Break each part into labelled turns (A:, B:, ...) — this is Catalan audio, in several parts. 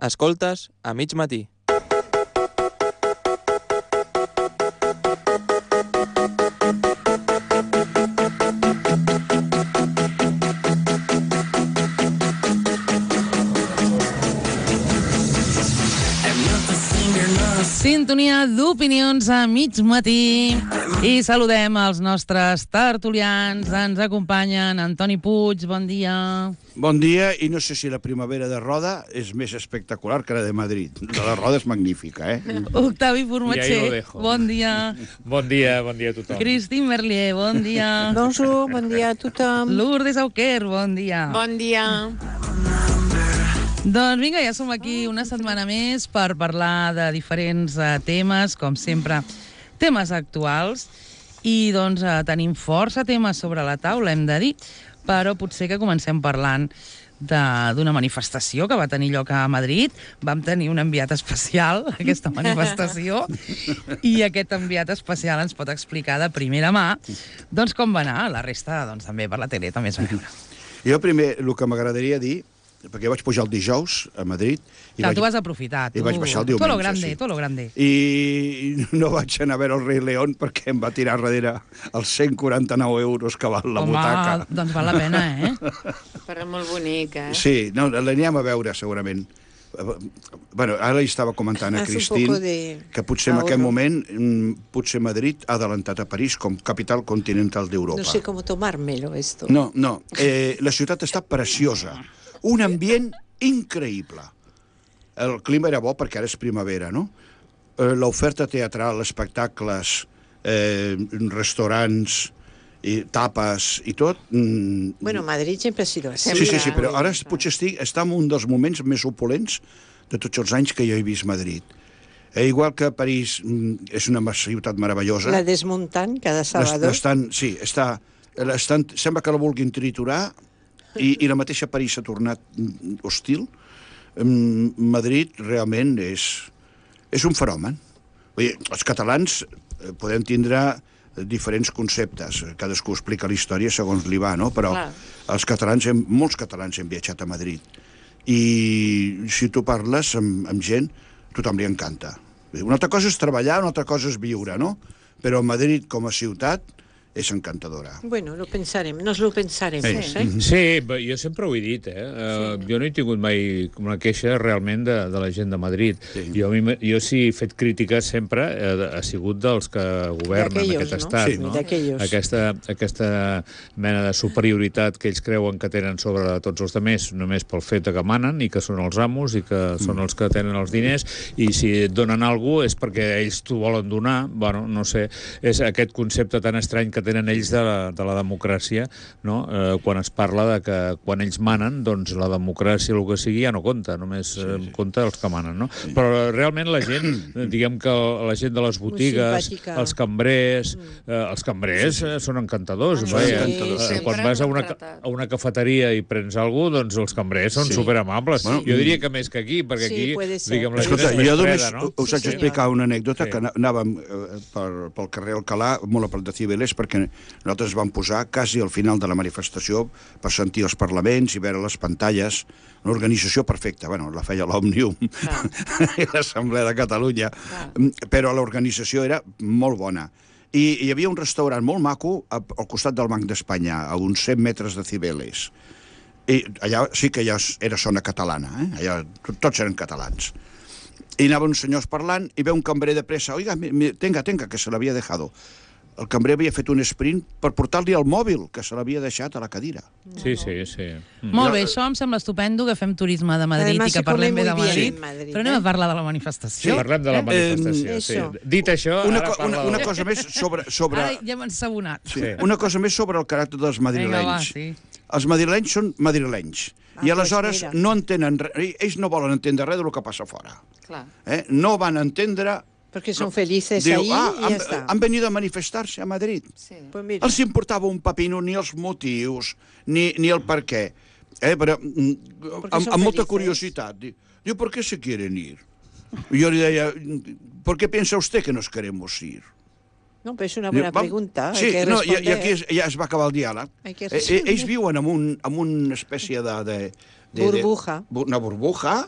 A: Escoltes a mig matí.
B: Sintonia d'opinions a mig matí i saludem els nostres tertulians. Ens acompanyen Antoni Puig, bon dia.
C: Bon dia, i no sé si la primavera de Roda és més espectacular que la de Madrid. La de Roda és magnífica,
B: Octavi Formatxer, bon dia.
D: Bon dia a tothom.
B: Christine Merlier, bon dia.
E: Bonjour, bon dia a tothom.
B: Lourdes Auquer, bon dia.
E: Bon dia.
B: Doncs vinga, ja som aquí una setmana més per parlar de diferents temes, com sempre, temes actuals. I doncs tenim força temes sobre la taula, hem de dir, però potser que comencem parlant d'una manifestació que va tenir lloc a Madrid. Vam tenir un enviat especial a aquesta manifestació i aquest enviat especial ens pot explicar de primera mà doncs com va anar. La resta doncs també per la tele també es va veure.
C: Jo primer, el que m'agradaria dir, perquè vaig pujar el dijous a Madrid...
B: Clar, tu vas aprofitar.
C: I vaig baixar el diumenge,
B: Todo lo grande, todo lo grande.
C: I no vaig anar a veure el Rei León perquè em va tirar darrere els 149 euros que val la butaca.
B: Home, doncs val la pena,
E: Però molt bonic,
C: Sí, no, l'anirem a veure, segurament. Bueno, ara hi estava comentant a Christine que potser en aquest moment potser Madrid ha adelantat a París com capital continental d'Europa.
E: No sé com tomármelo, esto.
C: No, la ciutat està preciosa. Un ambient increïble. El clima era bo perquè ara és primavera, no? L'oferta teatral, espectacles, restaurants, tapes i tot...
E: Bueno, Madrid sempre ha sido así.
C: Sí, però ara potser està en un dels moments més opulents de tots els anys que jo he vist Madrid. Igual que París és una ciutat meravellosa.
E: La desmuntant cada sábado.
C: Sí, sembla que la vulguin triturar i la mateixa París s'ha tornat hostil. Madrid realment és un fenomen. Els catalans podem tindre diferents conceptes, cadascú explica la història segons li va, no? Però els catalans, molts catalans hem viatjat a Madrid i si tu parles amb gent, tothom li encanta. Una altra cosa és treballar, una altra cosa és viure, no? Però Madrid com a ciutat és encantadora.
E: Bueno, nos lo pensaremos,
D: Sí, jo sempre ho he dit, Jo no he tingut mai una queixa realment de la gent de Madrid. Jo sí he fet crítiques sempre, ha sigut dels que governen aquest estat, no? Aquesta mena de superioritat que ells creuen que tenen sobre tots els altres, només pel fet que manen i que són els amos i que són els que tenen els diners, i si et donen alguna cosa és perquè ells t'ho volen donar. Bueno, no sé, és aquest concepte tan estrany que tenen ells de la democràcia, no? Quan es parla de que quan ells manen, doncs la democràcia, el que sigui, ja no compta, només compta els que manen, no? Però realment la gent, diguem que la gent de les botigues, els cambrers són encantadors. Quan vas a una cafeteria i prens alguna cosa, doncs els cambrers són superamables. Jo diria que més que aquí, perquè aquí, diguem, la gent és més freda, no?
C: Us haig d'explicar una anècdota, que anàvem pel carrer Alcalà, molt a prop de Cibeles, perquè nosaltres vam posar quasi al final de la manifestació per sentir els parlaments i veure les pantalles. Una organització perfecta. Bueno, la feia l'Òmnium i l'Assemblea de Catalunya, però l'organització era molt bona. I hi havia un restaurant molt maco al costat del Banc d'Espanya, a uns 100 metres de Cibeles. I allà sí que ja era zona catalana, allà tots eren catalans. I anaven uns senyors parlant i ve un cambrer de pressa. Oiga, tenga, que se l'havia dejado. El cambrer havia fet un sprint per portar-li el mòbil, que se l'havia deixat a la cadira.
D: Sí.
B: Molt bé, això em sembla estupendo, que fem turisme de Madrid i que parlem bé de Madrid, però anem a parlar de la manifestació.
D: Sí, parlem de la manifestació. Dit això, ara parla
C: una cosa més sobre...
B: Ara ja hem ensabonat.
C: Una cosa més sobre el caràcter dels madrilenys. Els madrilenys són madrilenys. I aleshores no entenen res, ells no volen entendre res del que passa fora. No van entendre...
E: Porque son felices ahí y ya está.
C: Han venido a manifestar-se a Madrid. Els importava un pepino ni els motius, ni el per què. Però amb molta curiositat. Diu, ¿por qué se quieren ir? Yo le decía, ¿por qué piensa usted que nos queremos ir?
E: No, però és una bona pregunta.
C: Sí, i aquí ja es va acabar el diàleg. Ells viuen en una espècie de...
E: Burbuja.
C: Una burbuja,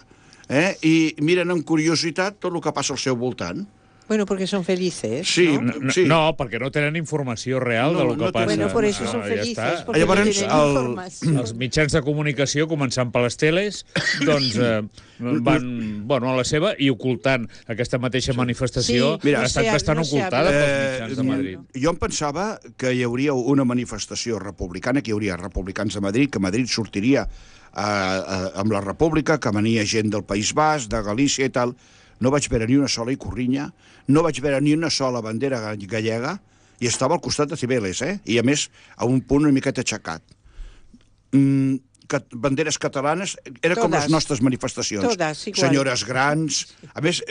C: i miren amb curiositat tot el que passa al seu voltant.
E: Bueno, porque son felices,
C: Sí,
E: ¿no?
C: sí.
D: No, perquè no tenen informació real de lo que passa.
E: Bueno, por eso son
D: Ja
E: felices,
D: està.
E: porque
C: Llavors,
E: no tienen información.
D: Els mitjans de comunicació, començant per les teles, doncs van a la seva i ocultant aquesta mateixa manifestació.
E: Sí,
D: Ha estat bastant ocultada pels mitjans de Madrid.
C: Jo em pensava que hi hauria una manifestació republicana, que hi hauria republicans de Madrid, que Madrid sortiria amb la República, que venia gent del País Basc, de Galícia i tal. No vaig veure ni una sola Ikurriña, no vaig veure ni una sola bandera gallega, i estava al costat de Cibeles, i a més a un punt una miqueta aixecat. Banderes catalanes, era com les nostres manifestacions.
E: Todas, igual.
C: Senyores grans, a més,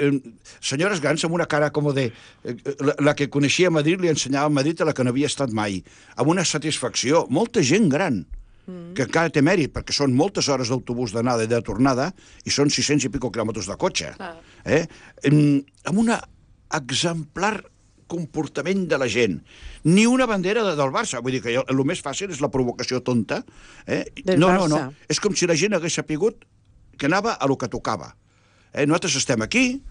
C: senyores grans amb una cara com de... La que coneixia a Madrid li ensenyava a Madrid a la que no havia estat mai, amb una satisfacció, molta gent gran, que encara té mèrit, perquè són moltes hores d'autobús d'anada i de tornada, i són 600 i pico quilòmetres de cotxe. Amb un exemplar comportament de la gent. Ni una bandera del Barça. Vull dir que el més fàcil és la provocació tonta. No. És com si la gent hagués sapigut que anava a lo que tocava. Nosaltres estem aquí,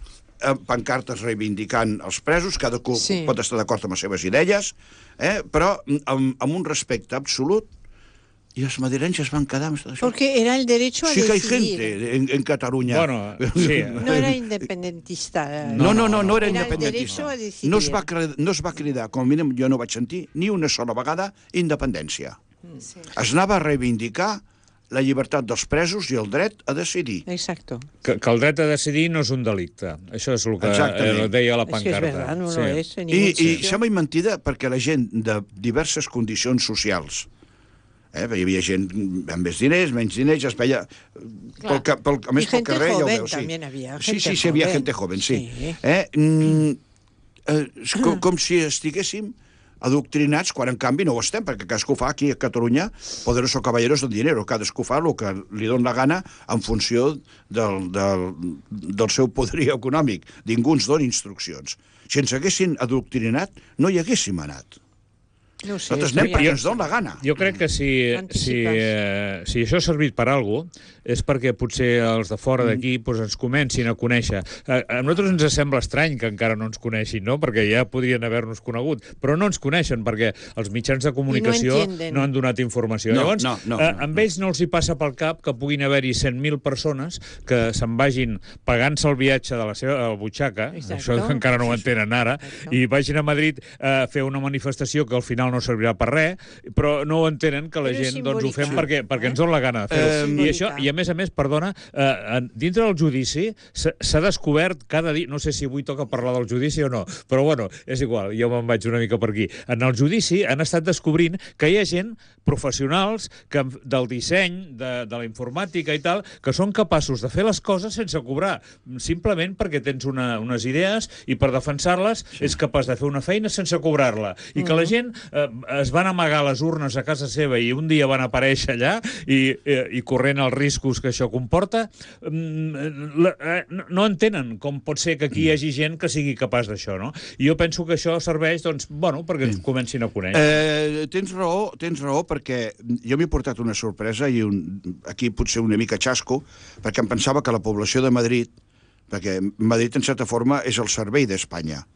C: amb pancartes reivindicant els presos, cadascú pot estar d'acord amb les seves idees, però amb un respecte absolut. Y los madrileños van quedar...
E: Porque era el derecho a decidir.
C: Sí que hay gente en Cataluña.
D: Bueno, sí.
E: No era independentista.
C: No era
E: el
C: independentista.
E: derecho a decidir.
C: No es va cridar, com a mínim jo no vaig sentir, ni una sola vegada, independència. Es anava a reivindicar la llibertat dels presos i el dret a decidir.
E: Exacto.
D: Que el dret a decidir no és un delicte. Això és el que deia la pancarta.
E: Es que es verdad, no lo es.
C: I sembla mentida perquè la gent de diverses condicions socials, hi havia gent amb més diners, menys diners, es veia... A més, pel carrer ja ho veus. Sí, havia gente joven, sí. Com si estiguéssim adoctrinats, quan en canvi no ho estem, perquè cadascú fa aquí a Catalunya poderosos caballeros del dinero, cadascú fa el que li dona la gana en funció del seu poderío econòmic. Ningú ens dona instruccions. Si ens haguessin adoctrinat, no hi haguéssim anat.
E: No sé,
C: nosaltres anem perquè ens dona la gana.
D: Jo crec que si això ha servit per alguna cosa, és perquè potser els de fora d'aquí ens comencin a conèixer. A nosaltres ens sembla estrany que encara no ens coneixin, no? Perquè ja podrien haver-nos conegut, però no ens coneixen perquè els mitjans de comunicació no han donat informació. Llavors, amb ells no els hi passa pel cap que puguin haver-hi 100.000 persones que se'n vagin pagant-se el viatge de la seva butxaca, això encara no ho entenen ara, i vagin a Madrid a fer una manifestació que al final no servirà per res, però no ho entenen que la gent ho fem perquè ens dona la gana de fer-ho. I això, i a més, perdona, dintre del judici s'ha descobert cada dia, no sé si avui toca parlar del judici o no, però bueno, és igual, jo me'n vaig una mica per aquí. En el judici han estat descobrint que hi ha gent, professionals, del disseny, de la informàtica i tal, que són capaços de fer les coses sense cobrar, simplement perquè tens unes idees i per defensar-les és capaç de fer una feina sense cobrar-la. I que la gent es van amagar les urnes a casa seva i un dia van aparèixer allà i corrent els riscos que això comporta, no entenen com pot ser que aquí hi hagi gent que sigui capaç d'això, no? I jo penso que això serveix, doncs, bueno, perquè ens comencin a conèixer.
C: Tens raó, perquè jo m'he portat una sorpresa i aquí potser una mica xasco, perquè em pensava que la població de Madrid, perquè Madrid, en certa forma, és el cervell d'Espanya.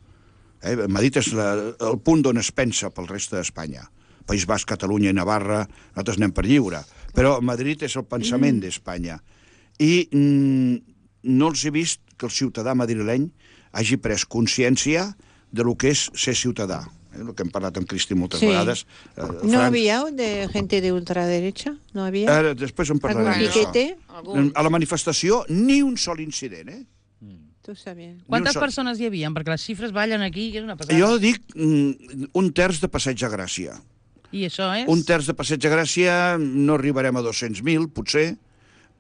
C: Madrid és el punt d'on es pensa pel reste d'Espanya. País Basc, Catalunya i Navarra, nosaltres anem per lliure. Però Madrid és el pensament d'Espanya. I no els he vist que el ciutadà madrileny hagi pres consciència de lo que és ser ciutadà. El que hem parlat amb Cristi moltes vegades.
E: ¿No había gente de ultraderecha? ¿No había?
C: Després en parlarem d'això. A la manifestació, ni un sol incident,
B: Quantes persones hi havia? Perquè les xifres ballen aquí, que és una passada.
C: Jo dic un terç de Passeig de Gràcia.
B: I això és?
C: Un terç de Passeig de Gràcia, no arribarem a 200.000, potser,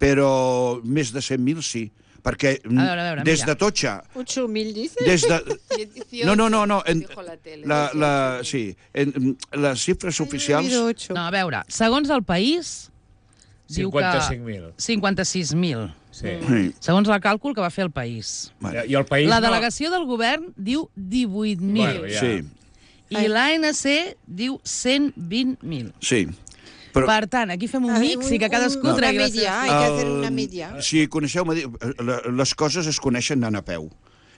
C: però més de 100.000 sí. Perquè des de Totxa...
E: 8.000, dices?
C: No. Sí, les xifres oficials...
B: No, a veure, segons el país...
D: 55.000.
B: 56.000.
D: Sí.
B: Segons el càlcul que va fer el país.
D: I el país
B: la delegació del govern diu 18.000.
C: Sí.
B: I l'ANC diu 120.000.
C: Sí.
B: Per tant, aquí fem un mix i que cadascú
E: una
B: tregui la
E: media,
B: seva...
E: hay que hacer una media.
C: Si coneixeu, les coses es coneixen anant a peu.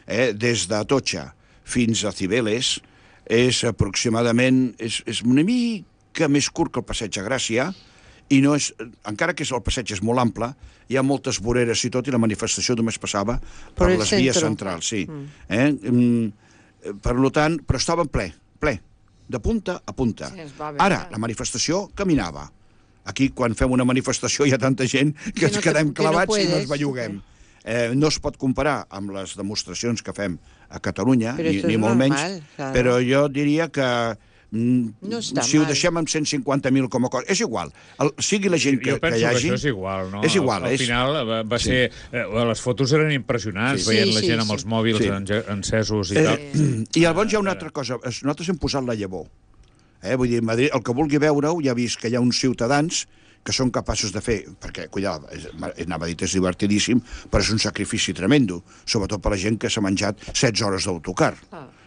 C: Des d'Atocha fins a Cibeles és aproximadament... És una mica més curt que el passeig a Gràcia, i no és, encara que el passeig és molt ample, hi ha moltes voreres i tot, i la manifestació només passava per les vies centrals, sí. Per tant, però estava ple, de punta a punta. Ara, la manifestació caminava. Aquí, quan fem una manifestació, hi ha tanta gent que ens quedem clavats i no ens belluguem. No es pot comparar amb les demostracions que fem a Catalunya, ni molt menys, però jo diria que si ho deixem amb 150.000 com a cosa... És igual, sigui la gent que hi hagi...
D: Jo penso que això és igual, no?
C: És igual.
D: Al final va ser... Les fotos eren impressionants, veient la gent amb els mòbils encesos i tal.
C: I llavors hi ha una altra cosa. Nosaltres hem posat la llavor. Vull dir, Madrid, el que vulgui veure-ho, ja ha vist que hi ha uns ciutadans que són capaços de fer, perquè, cuidado, anava a dir, és divertidíssim, però és un sacrifici tremendo, sobretot per la gent que s'ha menjat 16 hores d'autocar.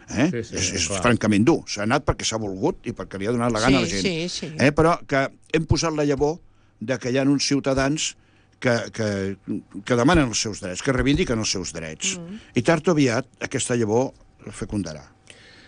C: És francament dur. S'ha anat perquè s'ha volgut i perquè li ha donat la gana a la gent. Però que hem posat la llavor de que hi ha uns ciutadans que demanen els seus drets, que reivindiquen els seus drets. I tard o aviat aquesta llavor fecundarà.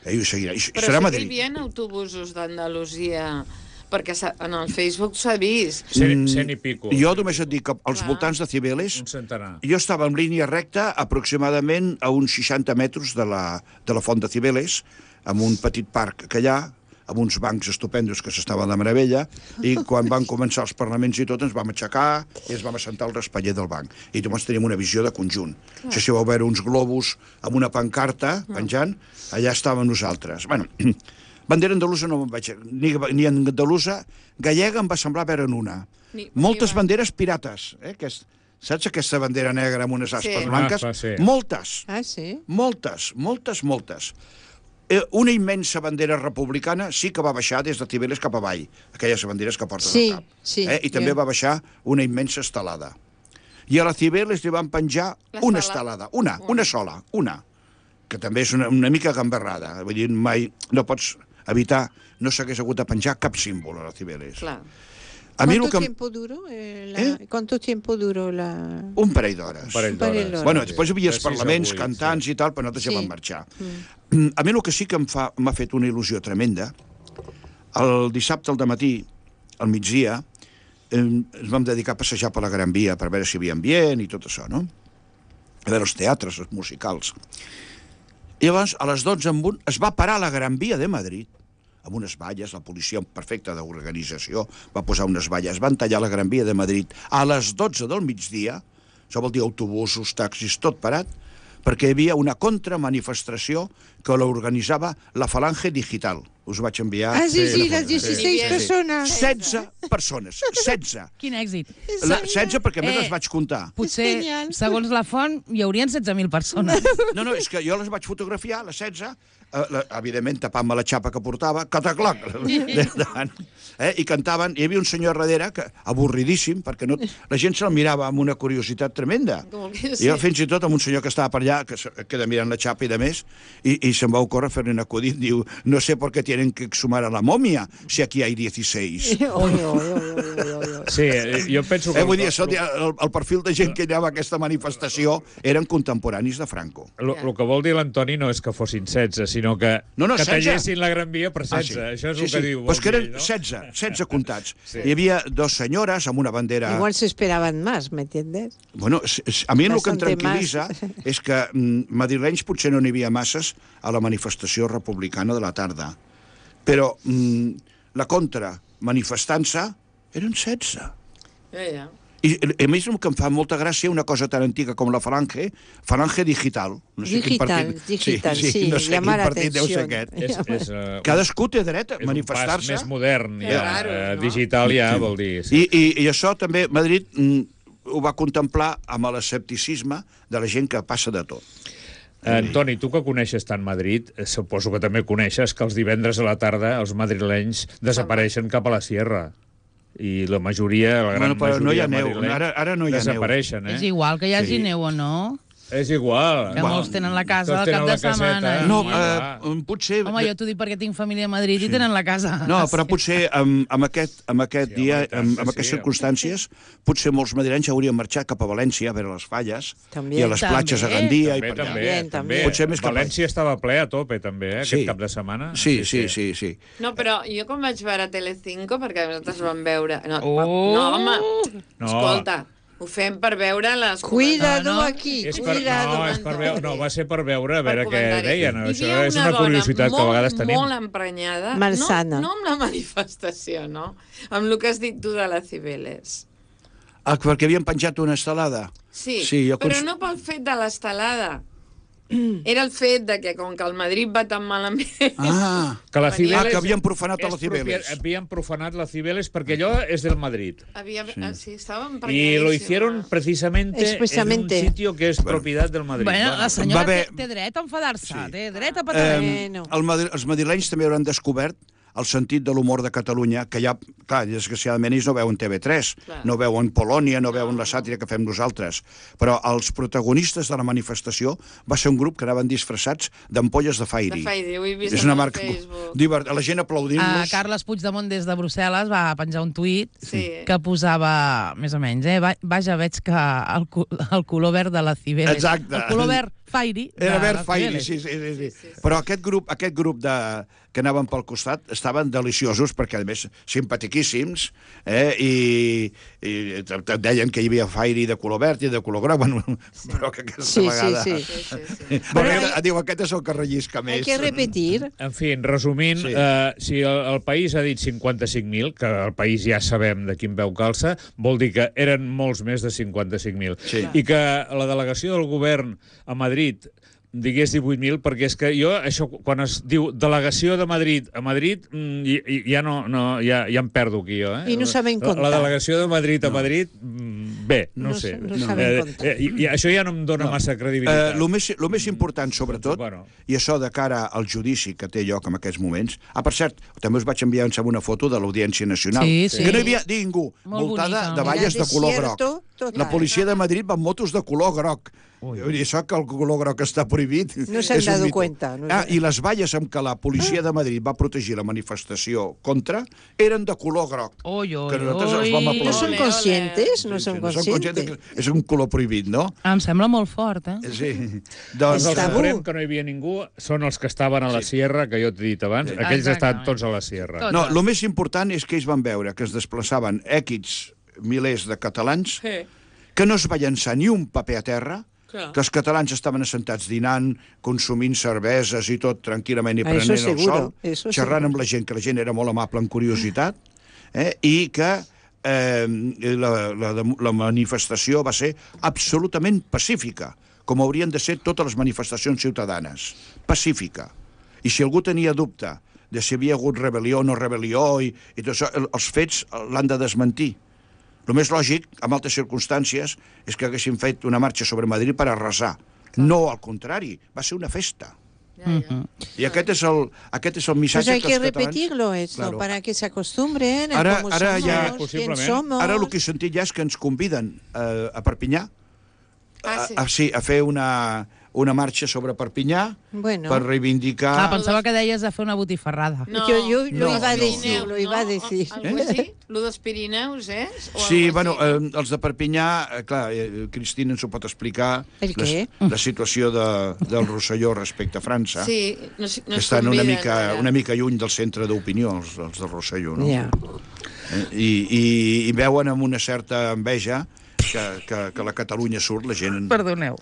C: I seguirà.
F: Però
C: serà
F: sí que
C: Madrid.
F: hi havia autobusos d'Andalusia, perquè en el Facebook s'ha vist.
D: 100 i pico.
C: Jo només et dic que als voltants de Cibeles...
D: Un centenar.
C: Jo estava en línia recta aproximadament a uns 60 metres de la font de Cibeles, amb un petit parc que hi ha, amb uns bancs estupendos que s'estaven de meravella, i quan van començar els parlaments i tot, ens vam aixecar i ens vam assentar al raspaller del banc. I llavors teníem una visió de conjunt. No sé si vau veure uns globus amb una pancarta penjant, allà estàvem nosaltres. Bueno, bandera andalusa no me'n vaig... Ni andalusa, gallega em va semblar veure'n una. Moltes banderes pirates, saps aquesta bandera negra amb unes aspes blanques? Moltes.
E: Ah, sí?
C: Moltes. Una immensa bandera republicana sí que va baixar des de Cibeles cap avall, aquelles banderes que porten al cap. I també va baixar una immensa estelada. I a la Cibeles li van penjar una estelada, una sola, que també és una mica gamberrada. Vull dir, mai no pots evitar, no s'hagués hagut de penjar cap símbol a la Cibeles.
F: Clar.
E: ¿Cuánto tiempo duró la...?
C: Un parell d'hores. Bueno, després hi havia els parlaments, cantants i tal, però nosaltres ja vam marxar. A mi el que sí que m'ha fet una il·lusió tremenda, el dissabte al dematí, al migdia, ens vam dedicar a passejar per la Gran Via per veure si hi havia ambient i tot això, no? A veure els teatres, els musicals. I llavors, a les 12 en punt, es va parar la Gran Via de Madrid, amb unes valles, la policia perfecta d'organització va posar unes valles, van tallar la Gran Via de Madrid a les 12 del migdia, això vol dir autobusos, taxis, tot parat, perquè hi havia una contramanifestació que l'organitzava la Falange Digital. Us vaig enviar...
E: Ah, sí, les 16 persones.
C: 16 persones, 16.
B: Quin èxit.
C: 16 perquè a més les vaig comptar.
B: Potser, segons la font, hi haurien 16.000 persones.
C: No, és que jo les vaig fotografiar, les 16, evidentment tapant-me la xapa que portava, cataclac, i cantaven, hi havia un senyor darrere, avorridíssim, perquè la gent se'l mirava amb una curiositat tremenda. I jo fins i tot amb un senyor que estava per allà, que queda mirant la xapa i de més, i se'm va ocórrer fer-li un acudit, diu, no sé por qué tienen que exhumar a la momia, si aquí hay 16.
D: Sí, jo penso que...
C: Vull dir, el perfil de gent que hi anava a aquesta manifestació eren contemporanis de Franco.
D: El que vol dir l'Antoni no és que fossin 16, sinó que tallessin la Gran Via per 16. Això és el que diu.
C: Pues que eren 16 comptats. Hi havia dos senyores amb una bandera...
E: Igual se esperaven más, ¿me entiendes?
C: Bueno, a mi el que em tranquil·litza és que madrilenys potser no n'hi havia masses a la manifestació republicana de la tarda. Però la contra manifestant-se eren 16. I a més el que em fa molta gràcia una cosa tan antiga com la Falange Digital. No sé
E: digital, sí,
C: no sé quin partit deu ser aquest. Cadascú té dret a manifestar-se.
D: És un pas més modern, digital ja vol dir.
C: I això també Madrid ho va contemplar amb l'escepticisme de la gent que passa de tot.
D: Antoni, tu que coneixes tant Madrid, suposo que també coneixes que els divendres a la tarda els madrilenys desapareixen cap a la sierra. I la majoria, la gran majoria
C: no hi ha neu. Ara no hi ha
D: desapareixen,
B: És igual que hi hagi neu o no.
D: És igual.
B: Que molts tenen la casa
D: Tots
B: al cap
D: tenen
B: de
D: la caseta.
B: setmana.
C: No, potser...
B: Home, jo t'ho dic perquè tinc família a Madrid i tenen la casa.
C: No, però potser amb aquest dia, amb aquestes
D: sí,
C: circumstàncies, potser molts madrilenys haurien marxat cap a València a veure les falles
E: També.
C: i a les platges a Gandia i per allà.
E: També.
C: Potser més que
D: València estava ple a tope, també,
C: Sí.
D: aquest cap de setmana.
C: Sí.
F: No, però jo quan vaig veure Telecinco, perquè nosaltres vam veure... No,
B: Oh!
F: no home,
D: No.
F: escolta, ho fem per veure les...
E: Cuidado
B: No, no.
E: aquí,
D: És per,
E: cuidado.
D: no, va ser per veure a veure què
F: comentaris.
D: deien.
F: Hi
D: Això
F: havia
D: és una curiositat que a vegades tenim.
F: Molt emprenyada.
E: Malsana.
F: No amb la manifestació, no? Amb el que has dit tu de la Cibeles.
C: Perquè havien penjat una estelada.
F: Sí,
C: jo
F: però no pel fet de l'estelada. Era el fet de que, com que el Madrid va tan malament...
D: Que la Cibeles...
C: que havien profanat a la Cibeles.
D: Havien profanat la Cibeles perquè allò és del Madrid.
F: Sí, estava
D: Y
F: emprenyadíssima.
D: lo hicieron precisamente
E: Expresamente.
D: en un sitio que es propiedad del Madrid.
B: Bueno, la
C: Va
B: senyora
C: haver-
B: té dret a enfadar-se, té dret a
C: Eh,
B: patar.
C: els madrilenys també hauran descobert el sentit de l'humor de Catalunya, que ja, clar, desgraciadament ells no veuen TV3,
F: Clar.
C: no veuen Polònia, no veuen la sàtira que fem nosaltres, però els protagonistes de la manifestació va ser un grup que anaven disfressats d'ampolles de Fairy.
F: De Fairy, ho he vist
C: És
F: en
C: una
F: el
C: marca
F: Facebook.
C: la gent aplaudint-los.
B: Carles Puigdemont des de Brussel·les va penjar un tuit
F: Sí.
B: que posava, més o menys, vaja, veig que el color verd de la Cibeles...
C: Exacte.
B: El color verd Fairy de
C: Era verd
B: la
C: Fairy,
B: Cibeles.
C: sí. Però aquest grup que anaven pel costat estaven deliciosos perquè, a més, simpatiquíssims, i et deien que hi havia Fairy de color verd i de color groc, bueno, però que aquesta vegada...
E: Sí.
C: Diu, aquest és el que rellisca més.
E: Hay que repetir.
D: En fi, resumint,
C: Sí.
D: si el país ha dit 55.000, que el país ja sabem de quin veu calça, vol dir que eren molts més de 55.000.
C: Sí.
D: I que la delegació del govern a Madrid digués 18.000, perquè és que jo, això, quan es diu delegació de Madrid a Madrid, ja em perdo aquí, jo.
E: I no saben comptar.
D: La delegació de Madrid a Madrid, bé, no sé.
E: No saben comptar.
D: I això ja no em dona massa credibilitat.
C: El més important, sobretot,
D: Bueno.
C: i això de cara al judici que té lloc en aquests moments... Per cert, també us vaig enviar una foto de l'Audiència Nacional,
B: Sí.
C: que no hi havia ningú,
B: Molt
C: voltada
B: bonica.
C: de valles de color groc.
E: Desierto total.
C: La policia de Madrid va amb motos de color groc. I això que el color groc està prohibit...
E: No s'han
C: és un
E: dado
C: mito.
E: cuenta, no
C: I les valles amb què la policia de Madrid va protegir la manifestació contra eren de color groc.
B: Oi,
C: Que nosaltres els vam aplaudir.
E: No son
F: Ole,
E: conscientes, no
C: Sí,
E: son
C: no són conscientes
E: conscientes.
C: que és un color prohibit, no?
B: Em sembla molt fort, eh?
C: Sí.
D: Els
C: Doncs,
D: del
E: tabú.
D: Suprem, que no hi havia ningú, són els que estaven a la Sierra, que jo t'he dit abans. Aquells estan tots a la Sierra.
B: Tots.
C: no, el més important és que ells van veure que es desplaçaven equips milers de catalans,
F: Sí.
C: que no es va llançar ni un paper a terra,
F: Clar.
C: que els catalans estaven assentats dinant, consumint cerveses i tot tranquil·lament i
E: Ah, eso
C: prenent el
E: seguro,
C: sol,
E: eso
C: xerrant
E: seguro.
C: amb la gent, que la gent era molt amable en curiositat, i que la manifestació va ser absolutament pacífica, com haurien de ser totes les manifestacions ciutadanes. Pacífica. I si algú tenia dubte de si havia hagut rebel·lió o no rebel·lió i tot això, els fets l'han de desmentir. El més lògic, en altres circumstàncies, és que haguessin fet una marxa sobre Madrid per arrasar. No, al contrari, va ser una festa. I aquest és el
E: Pues
C: missatge
E: hay
C: que
E: que
C: els catalans...
E: repetirlo esto
C: Claro.
E: para que se acostumbren a
C: Ara-
E: cómo
C: ara
E: somos,
C: ja-
E: quién
D: Possiblement.
E: somos.
C: Ara el que he sentit ja és que ens conviden a Perpinyà
F: Sí.
C: a fer una marxa sobre Perpinyà
E: Bueno.
C: per reivindicar...
B: Pensava que deies de fer una botifarrada.
E: Yo
C: No,
E: lo iba a
C: no.
E: decir, lo iba a decir.
F: Algo així? Lo dels Pirineus, O
C: Sí,
F: algo
C: bueno,
F: així,
C: els de Perpinyà, clar, Cristina ens ho pot explicar,
E: El què?
C: la situació del Rosselló respecte a França,
F: Sí, no
C: que estan una mica lluny del centre d'opinió, els del Rosselló, no?
E: Ja.
C: I veuen amb una certa enveja que la Catalunya surt, la gent...
B: Perdoneu,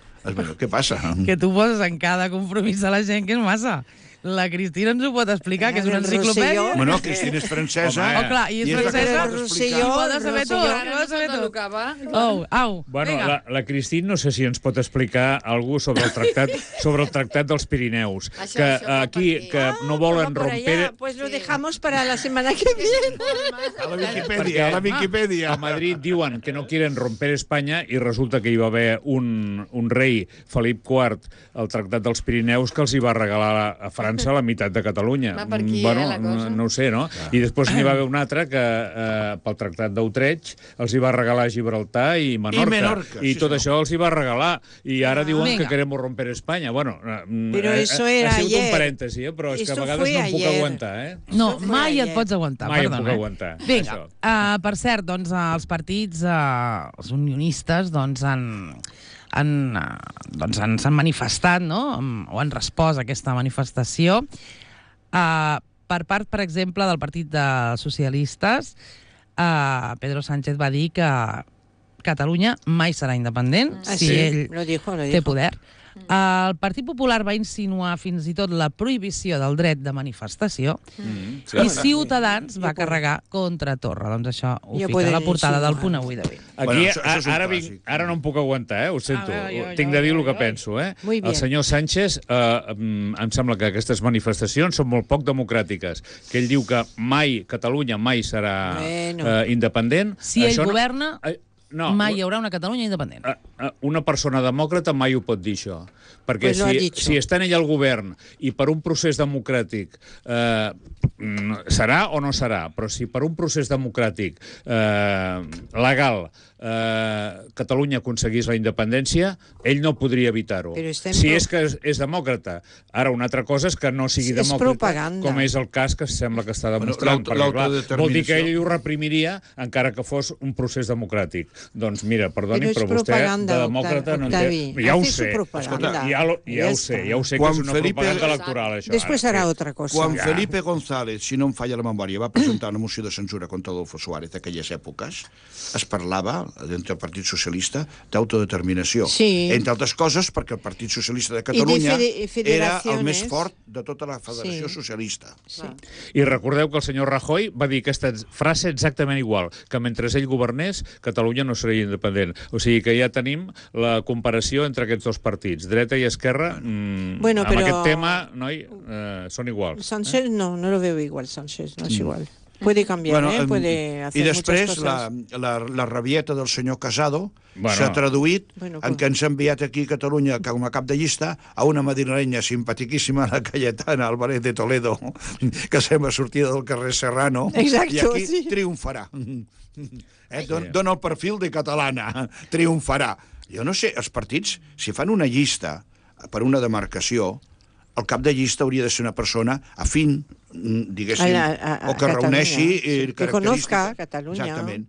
C: Què passa?
B: que tu poses en cada compromís a la gent, que és massa. La Cristina ens ho pot explicar, que és una
E: El
B: enciclopèdia.
E: Rosselló.
C: Bueno, Cristina és francesa.
B: Oh, clar, i és
C: la que
B: francesa,
C: pot explicar.
E: Rosselló,
B: ho ha de saber tot.
E: Rosselló.
B: Ho ha de saber tot.
F: Acaba.
B: Au,
D: Bueno,
B: vinga.
D: la Cristina no sé si ens pot explicar alguna sobre el tractat dels Pirineus,
F: Això,
D: que
F: això va
D: aquí
F: per aquí.
D: que no volen
E: Por allá,
D: romper...
E: pues lo dejamos para la semana que viene.
C: A la Viquipèdia, a la Viquipèdia.
D: A Madrid diuen que no quieren romper Espanya i resulta que hi va haver un rei, Felip IV, al Tractat dels Pirineus, que els hi va regalar a França carregant-se la meitat de Catalunya.
F: Va per aquí, la cosa.
D: No ho sé, no? I després n'hi va haver un altre que pel Tractat d'Utrecht els hi va regalar Gibraltar i Menorca. I tot això els hi va regalar. I ara diuen que queremos romper España. Bueno,
E: Pero eso era
D: ha sigut
E: ayer.
D: un parèntesi, però és que a vegades no em puc aguantar,
B: No, mai et pots aguantar,
D: Mai em
B: perdona.
D: puc aguantar.
B: Vinga, per cert, doncs, els partits, els unionistes, doncs, s'han manifestat, no?, o han respost a aquesta manifestació. Per part, per exemple, del Partit de Socialistes, Pedro Sánchez va dir que Catalunya mai serà independent si ell té poder. El Partit Popular va insinuar fins i tot la prohibició del dret de manifestació i Ciutadans va carregar contra Torra. Doncs això ho fica a la portada del Punt Avui d'avui.
D: Aquí, ara no em puc aguantar, ho sento. Tinc de dir el que penso. El senyor Sánchez, em sembla que aquestes manifestacions són molt poc democràtiques. Que ell diu que Catalunya mai serà independent.
B: Si ell governa... mai hi haurà una Catalunya independent.
D: Una persona demòcrata mai ho pot dir, això. Perquè si està en ell el govern i per un procés democràtic serà o no serà, però si per un procés democràtic legal Catalunya aconseguís la independència, ell no podria evitar-ho. Si és que és demòcrata. Ara, una altra cosa és que no sigui demòcrata, com és el cas que sembla que està demostrant. Vol dir que ell ho reprimiria encara que fos un procés democràtic. Doncs mira, perdoni, però vostè de demòcrata no en té... Ja ho sé, ja ho sé que és una propaganda electoral, això.
E: Després serà altra cosa.
C: Quan Felipe González, si no em falla la memòria, va presentar una moció de censura contra Adolfo Suárez d'aquelles èpoques, es parlava, dintre del Partit Socialista, d'autodeterminació. Entre altres coses, perquè el Partit Socialista de Catalunya era el més fort de tota la Federació Socialista.
D: I recordeu que el senyor Rajoy va dir aquesta frase exactament igual, que mentre ell governés, Catalunya no seria independent. O sigui que ja tenim la comparació entre aquests dos partits, dreta i esquerra, amb aquest tema, noi, són iguals.
E: Sánchez no lo veo igual, Sánchez, no es igual. Puede cambiar, puede hacer muchas cosas.
C: I després la rabieta del senyor Casado s'ha traduït en què ens ha enviat aquí a Catalunya com a cap de llista a una madrilenya simpatiquíssima, la Cayetana Álvarez de Toledo, que sembla sortida del carrer Serrano, i aquí triomfarà. Dona el perfil de catalana, triomfarà. Jo no sé, els partits, si fan una llista per una demarcació, el cap de llista hauria de ser una persona afín, diguéssim, o que reuneixi
E: que conozca Catalunya.
C: Exactament.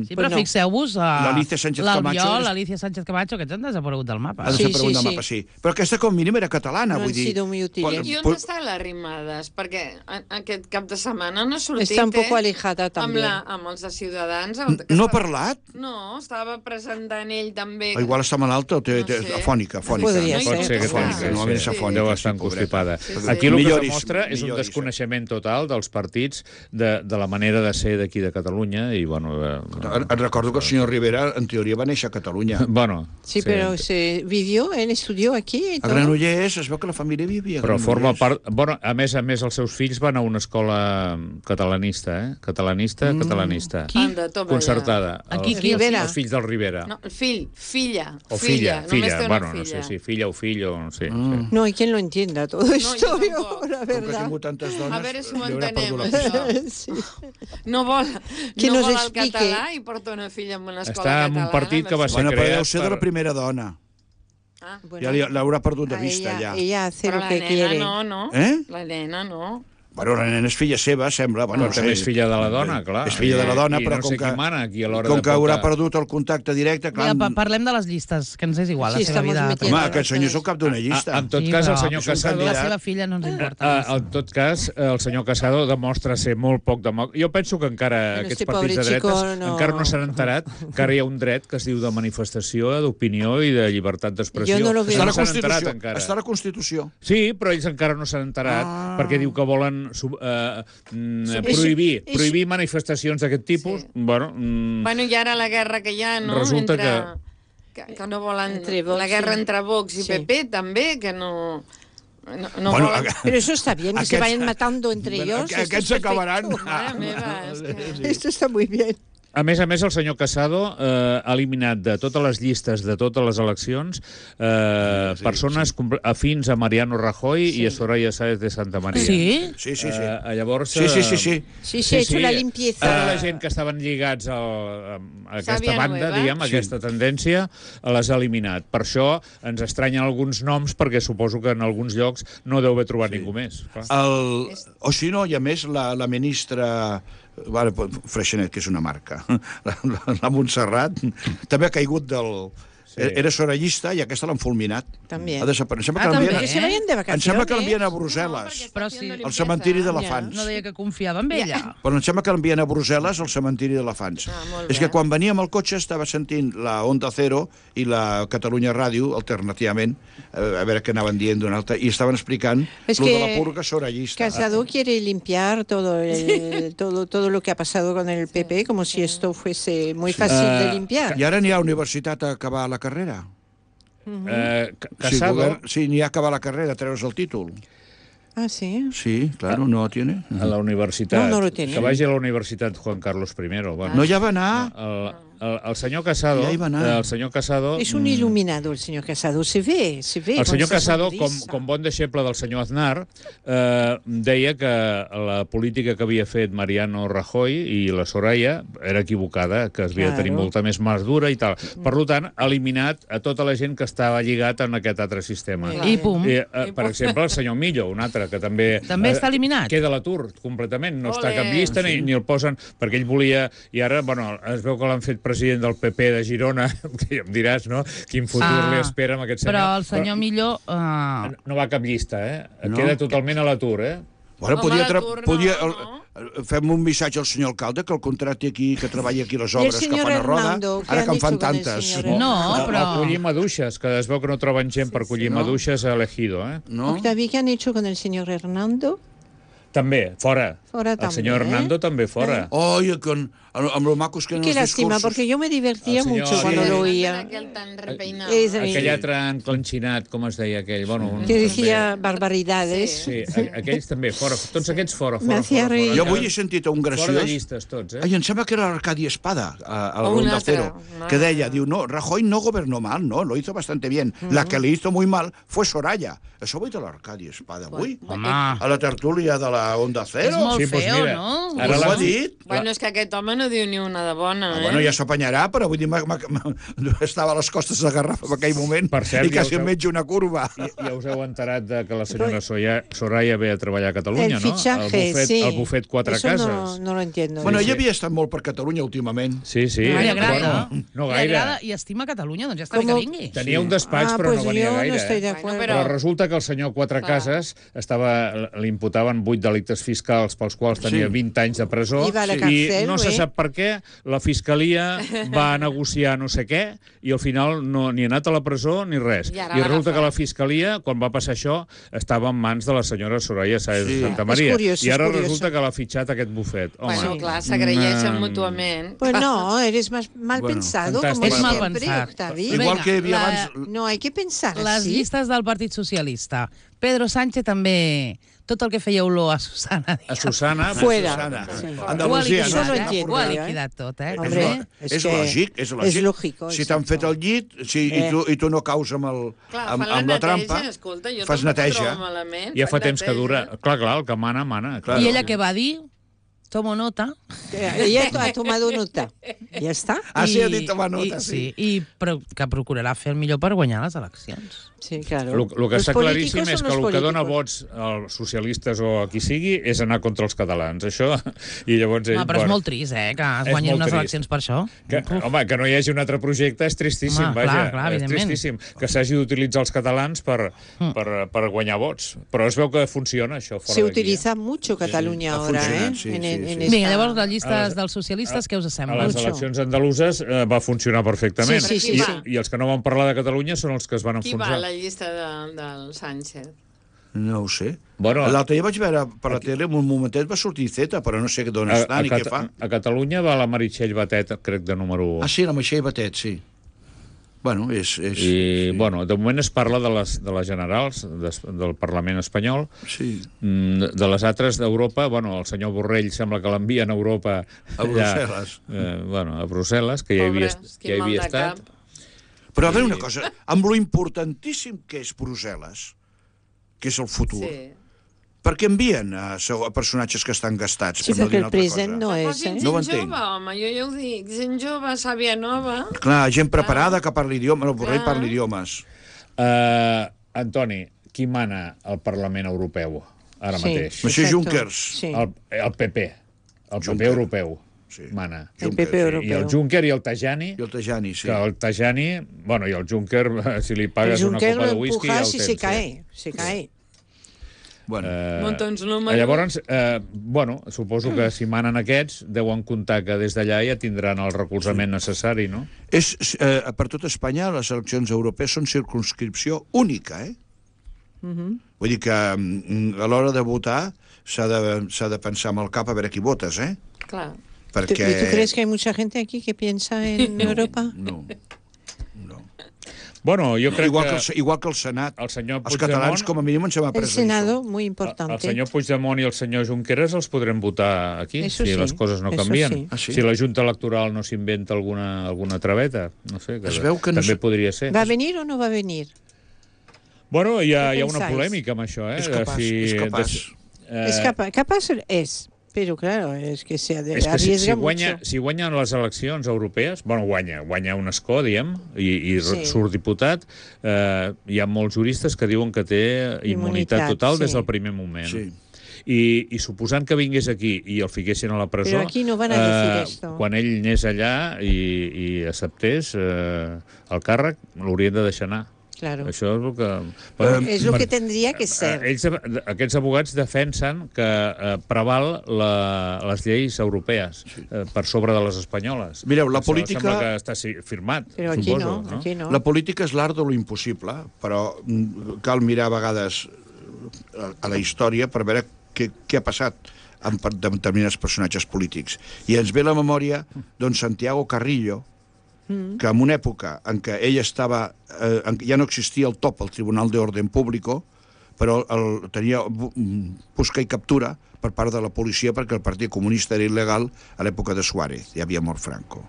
B: Sí, però fixeu-vos,
C: l'Albiol,
B: l'Alicia Sánchez Camacho, aquests han desaparegut del mapa.
C: Han desaparegut del mapa, sí. Però aquesta com a mínim era catalana, vull dir.
E: No han sido muy útiles.
F: I on està l'Arrimades? Perquè aquest cap de setmana no ha sortit,
E: Està un poco alejada també.
F: Amb els de Ciutadans.
C: No ha parlat?
F: No, estava presentant ell també.
C: Igual està malalta o té afònica.
E: Podria
D: ser. Pot ser que afònica. Deu estar constipada. Aquí el que es demostra és un desconeixement total dels partits de la manera de ser d'aquí de Catalunya i, bueno...
C: Et recordo que el senyor Rivera, en teoria, va néixer a Catalunya.
E: Sí, però vivió, ell estudió aquí.
C: A Granollers es veu que la família vivia a Granollers.
D: Però forma part... Bueno, a més, els seus fills van a una escola catalanista, catalanista.
B: Qui?
D: Concertada.
B: Aquí,
D: els fills del Rivera.
F: No, el fill, filla.
D: O filla. Bueno, no sé si filla o fill o no sé.
E: No hay quien lo entienda todo esto, la verdad.
F: A veure si ho entenem, això. No vol el català i porta una filla en una escola catalana.
D: Està en un partit que va ser creat...
C: Deu ser de la primera dona. Ja l'haurà perdut de vista, ja.
E: Ella hace lo que quiere.
F: Però la nena no. La nena no.
C: Bueno, la nena és filla seva, sembla.
D: Bueno, també és filla de la dona, clar.
C: És filla de la dona, però
D: com
C: que haurà perdut el contacte directe...
B: Parlem de les llistes, que ens és igual, la seva vida.
C: Home, aquest senyor és el cap d'una llista.
D: En tot cas, el senyor Casado...
B: La seva filla no ens importa.
D: En tot cas, el senyor Casado demostra ser molt poc demòcrata. Jo penso que encara aquests partits de dretes encara no s'han enterat que ara hi ha un dret que es diu de manifestació, d'opinió i de llibertat d'expressió.
C: Està a la Constitució.
D: Sí, però ells encara no s'han enterat perquè diu que volen prohibir manifestacions d'aquest tipus. Bueno,
F: i ara la guerra que hi ha, no?
D: Resulta
F: que no volen... La guerra entre Vox i PP, també, que no...
E: Pero eso está bien, que se vayan matando entre ellos.
C: Aquests acabaran.
E: Esto está muy bien.
D: A més, el senyor Casado ha eliminat de totes les llistes de totes les eleccions persones afins a Mariano Rajoy i a Soraya Sáenz de Santamaría.
B: Sí?
C: Sí.
D: Llavors...
C: Sí.
E: Sí, ha hecho la limpieza.
D: Tota la gent que estaven lligats a aquesta banda, diguem, a aquesta tendència, les ha eliminat. Per això ens estranyen alguns noms, perquè suposo que en alguns llocs no deu haver trobat ningú més.
C: O si no, i a més, la ministra... Freixenet, que és una marca. La Montserrat també ha caigut del... Era sorayista i aquesta l'han fulminat.
E: També.
C: Ha desaparegut.
B: també.
C: Em sembla que l'envien a Brussel·les, al cementiri d'elefants.
B: No deia que confiava en ella.
C: Però em sembla que l'envien a Brussel·les, al cementiri d'elefants. És que quan venia amb el cotxe estava sentint la Onda Cero i la Catalunya Ràdio, alternativament, a veure què anaven dient d'una altra, i estaven explicant lo de la purga sorayista.
E: Casado quiere limpiar todo lo que ha pasado con el PP, como si esto fuese muy fácil de limpiar.
C: I ara n'hi ha universitat a acabar la carrera.
D: Casado...
C: Sí, n'hi ha a acabar la carrera, treure's el títol.
E: Ah, sí?
C: Sí, claro, no lo tiene.
D: A la universitat.
E: No lo tiene.
D: Que vagi a la universitat Juan Carlos I. Bueno,
C: no, ja va anar.
D: El senyor Casado...
C: Ja hi va anar.
D: El senyor Casado...
E: És un il·luminado, el senyor Casado. Se ve.
D: El senyor Casado, com bon deixeble del senyor Aznar, deia que la política que havia fet Mariano Rajoy i la Soraya era equivocada, que es havia de tenir molta més mà dura i tal. Per tant, ha eliminat a tota la gent que estava lligat en aquest altre sistema.
B: I pum.
D: Per exemple, el senyor Millo, un altre, que també...
B: També està eliminat.
D: Queda a l'atur, completament. No està a cap llista, ni el posen, perquè ell volia... I ara, bueno, es veu que l'han fet president del PP de Girona, que ja em diràs, no?, quin futur li espera amb aquest senyor.
B: Però el senyor Millo...
D: No va a cap llista, Queda totalment a l'atur,
C: Bueno, fem un missatge al senyor alcalde, que el contracte aquí, que treballa aquí les obres que fan a Roda, ara que en fan tantes.
B: No, però...
D: O collir maduixes, que es veu que no troben gent per collir maduixes a l'Ejido,
C: No?
E: Octaví, ¿qué han hecho con el señor Hernando?
D: També, fora.
E: Fora
D: el senyor Hernando també fora.
C: Amb lo macos que eren
E: Qué
C: els
E: lástima,
C: discursos.
E: porque yo me divertía mucho cuando lo oía.
D: Aquell altre enclenxinat, com es deia aquell? Bueno,
E: que decía barbaridades.
D: Sí, aquells també, fora. Tots aquests fora.
C: Jo avui he sentit un graciós...
D: Fora de llistes, tots,
C: Ai, em sembla que era l'Arcadi Espada, a la Onda Cero, que deia, diu, no, Rajoy no gobernó mal, no, lo hizo bastante bien. La que le hizo muy mal fue Soraya. Això ho ha dit l'Arcadi Espada avui? A la tertúlia de la Onda Cero?
B: És molt feo, no?
C: Ara l'ha dit.
F: Bueno, és que aquest home no diu ni una de bona,
C: Bueno, ja s'apanyarà, però vull dir, estava a les costes de Garraf en aquell moment i quasi em menja una curva.
D: Ja us heu enterat que la senyora Soraya ve a treballar a Catalunya, no? El bufet Quatre Cases.
E: No lo entiendo.
C: Bueno, ella havia estat molt per Catalunya últimament.
D: Sí.
B: Li agrada.
D: No gaire.
B: Li agrada i estima Catalunya, doncs ja està bé que vingui.
D: Tenia un despatx, però no venia gaire. Però resulta que el senyor Quatre Cases li imputaven 8 delictes fiscals pels quals tenia 20 anys de presó i no se sap per què la Fiscalia va negociar no sé què i al final ni ha anat a la presó ni res. I resulta que la Fiscalia, quan va passar això, estava en mans de la senyora Soraya Sáenz de Santamaría. I ara resulta que l'ha fitxat aquest bufet.
F: Bueno, clar, s'agraeixen mútuament.
E: Pues no, eres mal pensado.
B: És mal pensat.
C: Igual que havia abans...
E: No, hay que pensar
B: les llistes del Partit Socialista. Pedro Sánchez també... Tot el que feia olor a Susana.
D: A Susana,
E: fuera.
C: Andalusia,
B: no? Ho ha liquidat tot,
E: Hombre,
C: és lògic, és lògic.
E: És lògico.
C: Si t'han fet el llit i tu no caus amb la trampa, fas neteja.
D: Ja fa temps que dura. Clar, el que mana.
B: I ella què va dir? Tomo nota.
E: Ella ha tomado nota. Ja està.
C: Sí, ha dit tomar nota, sí.
B: I que procurarà fer el millor per guanyar les eleccions.
E: Sí, claro.
D: El que està claríssim és que el que dona vots als socialistes o a qui sigui és anar contra els catalans. Això, i llavors...
B: Però és molt trist, que es guanyin unes eleccions per això.
D: Home, que no hi hagi un altre projecte és tristíssim, vaja. És tristíssim que s'hagi d'utilitzar els catalans per guanyar vots. Però es veu que funciona, això, fora d'aquí.
E: Se utiliza mucho Catalunya ahora,
B: Vinga, llavors les llistes dels socialistes, què us sembla?
D: A les eleccions andaluses va funcionar perfectament. I els que no van parlar de Catalunya són els que es van enfonsar.
F: La llista del Sánchez.
C: No ho sé.
D: Bueno,
C: l'altre dia vaig veure per la tele, en un momentet va sortir Zeta, però no sé d'on està ni què fa.
D: A Catalunya va la Meritxell Batet, crec, de número 1.
C: Ah, sí, la Meritxell Batet, sí. Bueno, és...
D: I, bueno, de moment es parla de les generals del Parlament espanyol.
C: Sí.
D: De les altres d'Europa, bueno, el senyor Borrell sembla que l'envien a Europa...
C: A Brussel·les.
D: Bueno, a Brussel·les, que ja hi havia estat.
C: Però a veure una cosa, amb lo importantíssim que és Brussel·les, que és el futur, per què envien a personatges que estan gastats?
E: Sí, perquè el present no és,
C: No ho entenc.
F: Gent jove, home, jo ja ho dic. Gent jove, sàvia nova.
C: Clar, gent preparada que parli idiomes, el Borrell parla idiomes.
D: Antoni, qui mana al Parlament Europeu ara mateix?
C: Monsieur Junckers.
D: El PP. El PP europeu. Mana.
E: El PP europeu.
D: I el Juncker i el Tajani.
C: I el Tajani, sí.
D: Que el Tajani, bueno, i el Juncker, si li pagues una copa de whisky, ja el tens.
E: Se cae.
C: Bueno.
D: Llavors, bueno, suposo que si manen aquests, deuen comptar que des d'allà ja tindran el recolzament necessari, no?
C: Per tot Espanya, les eleccions europees són circumscripció única, Vull dir que a l'hora de votar s'ha de pensar amb el cap a veure qui votes,
F: Clar.
C: Perquè...
E: ¿Tú crees que hay mucha gente aquí que piensa en Europa?
C: No.
D: Bueno, jo crec
C: igual que el Senat. Els catalans, com a mínim, ens hem après
E: això. El Senado, muy importante.
D: El senyor Puigdemont i el senyor Junqueras els podrem votar aquí, si les coses no canvien. Si la Junta Electoral no s'inventa alguna traveta. No sé, també podria ser.
E: ¿Va a venir o no va a venir?
D: Bueno, hi ha una polèmica amb això,
C: És capaç.
E: Capaz és. Però, claro, és que se arriesga mucho.
D: Si guanyen les eleccions europees, bueno, guanya un escó, diguem, i surt diputat, hi ha molts juristes que diuen que té immunitat total des del primer moment.
C: Sí.
D: I suposant que vingués aquí i el fiquessin a la presó...
E: Però aquí no van a decir esto.
D: Quan ell anés allà i acceptés el càrrec, l'haurien de deixar anar.
E: Claro.
D: Això és el que...
E: és el que tendria que ser.
D: Aquests abogats defensen que preval les lleis europees per sobre de les espanyoles.
C: Mireu, la política...
D: Sembla que està firmat,
E: però aquí
D: suposo.
E: Aquí no.
C: La política és l'art de lo impossible, però cal mirar a vegades a la història per veure què ha passat amb determinats personatges polítics. I ens ve la memòria d'un Santiago Carrillo, que en una època en què ell estava... ja no existia el top, el Tribunal de Orden Público, però tenia busca i captura per part de la policia perquè el Partit Comunista era il·legal a l'època de Suárez, ja havia mort Franco.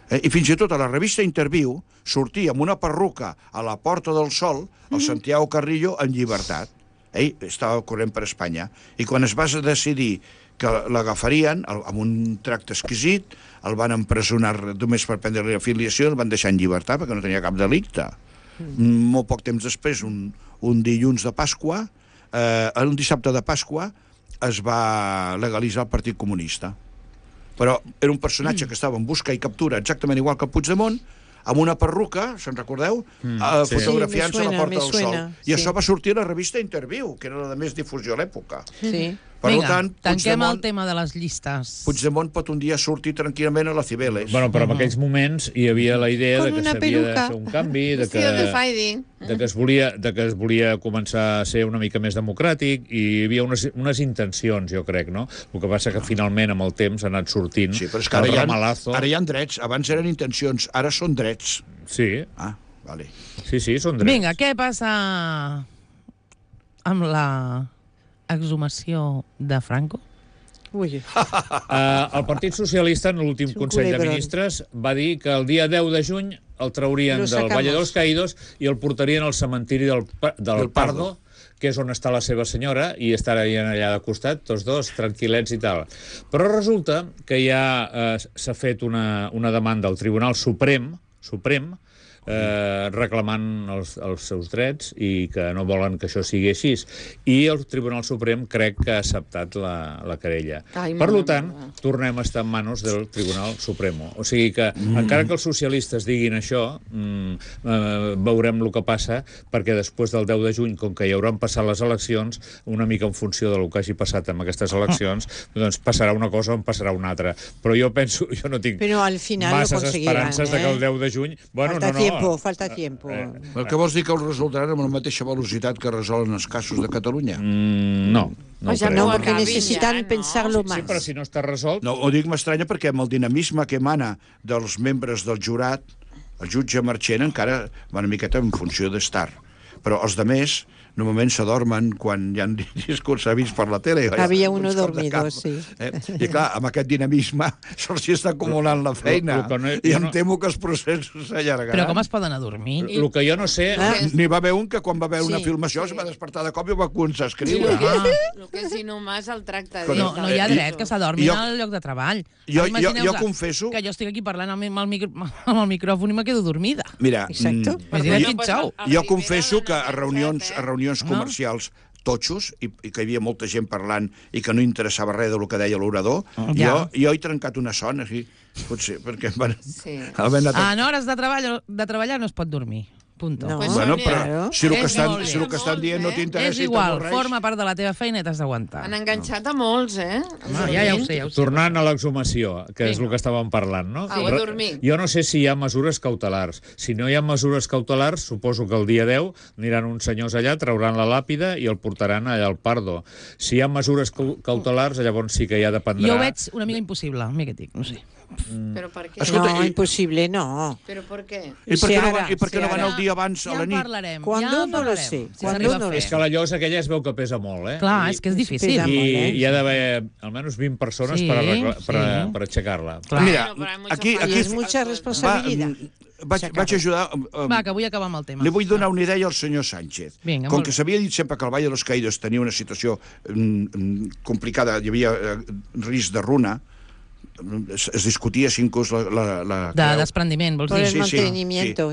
C: I fins i tot a la revista Interviu sortia amb una perruca a la Porta del Sol el Santiago Carrillo en llibertat. Ell estava corrent per Espanya. I quan es va decidir que l'agafarien amb un tracte exquisit, el van empresonar només per prendre-li afiliació, el van deixar en llibertat perquè no tenia cap delicte. Molt poc temps després, un dilluns de Pasqua, un dissabte de Pasqua, es va legalitzar el Partit Comunista. Però era un personatge que estava en busca i captura exactament igual que el Puigdemont, amb una perruca, se'n recordeu? Fotografiant-se a la Porta del Sol. I això va sortir a la revista Interviu, que era la de més difusió a l'època.
E: Sí.
B: Vinga, tanquem el tema de les llistes.
C: Puigdemont pot un dia sortir tranquil·lament a la Cibeles.
D: Bueno, però en aquells moments hi havia la idea de que s'havia de fer un canvi, de que es volia començar a ser una mica més democràtic, i hi havia unes intencions, jo crec, no? El que passa que finalment amb el temps ha anat sortint.
C: Sí, però és que ara hi ha drets. Abans eren intencions, ara són drets.
D: Sí.
C: Ah, vale.
D: Sí, són drets.
B: Vinga, què passa amb la exhumació de Franco?
E: Ui.
D: El Partit Socialista, en l'últim Consell de Ministres, va dir que el dia 10 de juny el traurien del Valle de los Caídos i el portarien al cementiri del Pardo, que és on està la seva senyora, i estarien allà de costat, tots dos, tranquil·lets i tal. Però resulta que ja s'ha fet una demanda al Tribunal Suprem, reclamant els seus drets i que no volen que això sigui així. I el Tribunal Suprem crec que ha acceptat la querella. Per tant, tornem a estar en mans del Tribunal Supremo. O sigui que, encara que els socialistes diguin això, veurem el que passa, perquè després del 10 de juny, com que hi hauran passat les eleccions, una mica en funció del que hagi passat amb aquestes eleccions, doncs passarà una cosa o en passarà una altra. Però jo penso, jo no tinc masses esperances de que el 10 de juny...
E: Falta tiempo.
C: El que vols dir que ho resoldran amb la mateixa velocitat que resolen els casos de Catalunya?
D: No.
E: No, perquè necessiten pensar-lo més.
D: Sí, però si no està resolt...
C: No, ho dic m'estranya perquè amb el dinamisme que emana dels membres del jurat, El jutge Marchena encara va una miqueta en funció d'estar. Però els demés normalment s'adormen quan hi ha discursos vist per la tele.
E: Havia uno dormido, sí.
C: I clar, amb aquest dinamisme se'ls està acumulant la feina i em temo que els processos s'allargaran.
B: Però com es poden adormir?
D: El que jo no sé...
C: N'hi va haver un que quan va veure una filmació es va despertar de cop i va començar a escriure.
F: El que és inhumà és el tracte.
B: No hi ha dret que s'adormin al lloc de treball.
C: Jo confesso...
B: Que jo estic aquí parlant amb el micròfon i me quedo dormida.
C: Mira,
B: xau.
C: jo confesso que a reunions comercials totxos, i que hi havia molta gent parlant i que no interessava res del que deia l'orador, jo he trencat una son, així, potser, perquè em van...
B: En hores de treballar no es pot dormir. Punto.
E: No.
C: Bueno, però si el que estan dient no t'interessa...
B: És igual, forma part de la teva feina i t'has d'aguantar.
F: Han enganxat a molts, eh?
B: Ja ho sé.
D: Tornant a l'exhumació, que és el que estàvem parlant, no?
F: A dormir.
D: Jo no sé si hi ha mesures cautelars. Si no hi ha mesures cautelars, suposo que el dia 10 aniran uns senyors allà, trauran la làpida i el portaran allà al Pardo. Si hi ha mesures cautelars, llavors sí que ja dependrà...
B: Jo ho veig una mica impossible, a mi que dic, no sé.
F: Però per què?
E: No, impossible, no.
F: Però per què?
C: I per què no van el dia abans a la nit?
B: Ja en parlarem.
E: Cuando no lo sé.
D: És que la llosa aquella es veu que pesa molt, eh?
B: Clar, és que és difícil.
D: I hi ha d'haver almenys 20 persones per aixecar-la.
C: Mira, aquí...
E: És mucha responsabilitat.
C: Vaig ajudar...
B: Va, que vull acabar amb el tema.
C: Li vull donar una idea al senyor Sánchez. Com que s'havia dit sempre que el Valle de los Caídos tenia una situació complicada, hi havia risc de runa, es discutia si inclús la
B: de desprendiment, vols dir?
C: Sí.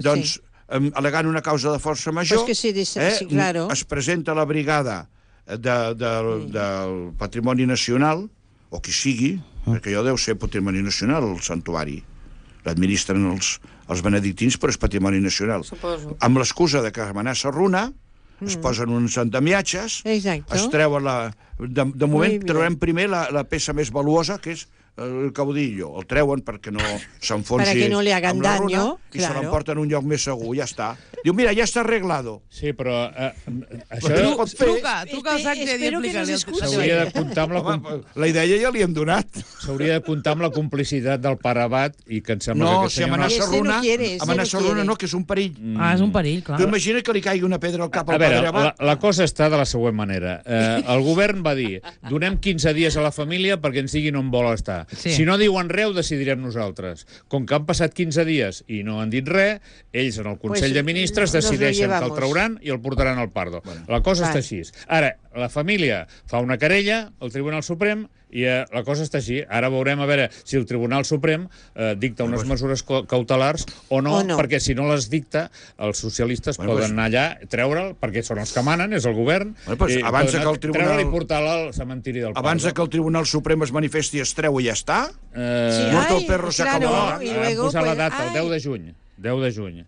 C: Doncs, al·legant una causa de força major, es presenta la brigada del Patrimoni Nacional, o qui sigui, perquè jo deu ser Patrimoni Nacional, el santuari. L'administren els benedictins, però és Patrimoni Nacional.
F: Suposo.
C: Amb l'excusa de que amenaça runa, es posen uns andamiatges, es treuen de moment traurem primer la peça més valuosa, que és el caudillo. El treuen perquè no s'enfonsi
E: no le hagan
C: amb la runa
E: daño,
C: i se l'emporten a un lloc més segur, ja està. Diu, mira, ja està arreglado.
D: Sí, però això...
B: Truca al Sánchez i explica-li.
D: S'hauria de comptar amb
C: la idea ja li hem donat.
D: S'hauria de comptar amb la complicitat del pare Abat i que em sembla que aquest senyor...
C: No, si amenaça runa no, que és un perill.
B: És un perill, clar.
C: Tu imagina que li caigui una pedra al cap al padre Abat.
D: La cosa està de la següent manera. El govern va dir, donem 15 dies a la família perquè ens diguin on vol estar. Si no diuen res, ho decidirem nosaltres. Com que han passat 15 dies i no han dit res, ells en el Consell de Ministres decideixen que el trauran i el portaran al Pardo. La cosa està així. Ara, la família fa una querella al Tribunal Suprem i la cosa està així. Ara veurem a veure si el Tribunal Suprem dicta unes mesures cautelars o no, perquè si no les dicta, els socialistes poden anar allà, treure'l, perquè són els que manen, és el govern, treure'l i portar-la al cementiri del Pardo.
C: Abans que el Tribunal Suprem es manifesti, es treu i ja està? Muerto el perro se acabó.
D: Han posat la data, el 10 de juny. 10 de juny.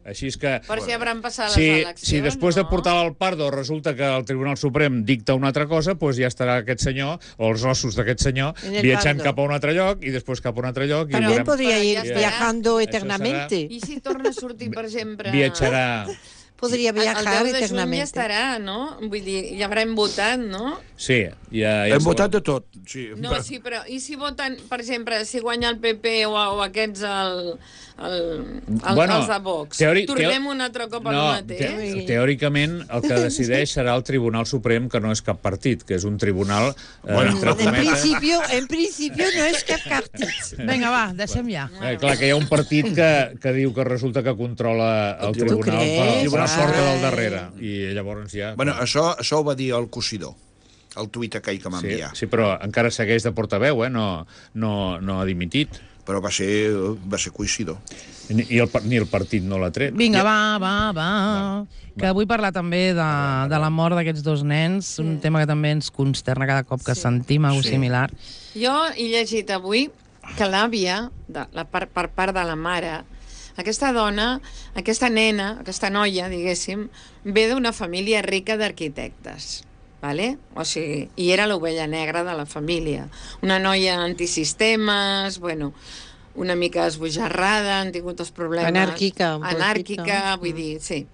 D: Així és que...
F: Per si hauran passat les eleccions,
D: si després de portar-la al Pardo resulta que el Tribunal Suprem dicta una altra cosa, doncs ja estarà aquest senyor, o els ossos d'aquest senyor, viatjant cap a un altre lloc i després cap a un altre lloc.
E: També podria ir viajando eternamente.
F: I si torna a sortir, per exemple...
D: Viatjarà...
E: Podria viajar eternamente.
F: El 10 de juny ja estarà, no? Vull dir, ja haurem votat, no?
D: Sí.
C: Hem votat de tot.
F: No, sí, però i si voten, per exemple, si guanya el PP o aquests els de Vox, tornem un altre cop al mateix?
D: Teòricament, el que decideix serà el Tribunal Suprem, que no és cap partit, que és un tribunal...
E: En principio no és cap partit.
B: Vinga, va, deixem ja.
D: Clar, que hi ha un partit que diu que resulta que controla el tribunal per la porta del darrere. I llavors ja...
C: Bueno, això ho va dir el Cosidor, el tuit aquell que m'enviar.
D: Sí, però encara segueix de portaveu, no ha dimitit.
C: Però va ser Cosidor.
D: Ni el partit no l'ha tret.
B: Vinga, va. Que vull parlar també de la mort d'aquests dos nens, un tema que també ens consterna cada cop que sentim alguna similar.
F: Jo he llegit avui que l'àvia, per part de la mare, aquesta dona, aquesta nena, aquesta noia, diguéssim, ve d'una família rica d'arquitectes. Vale? O sigui, i era l'ovella negra de la família. Una noia antisistemes, bueno, una mica esbojarrada, han tingut els problemes... Anàrquica, vull dir, sí.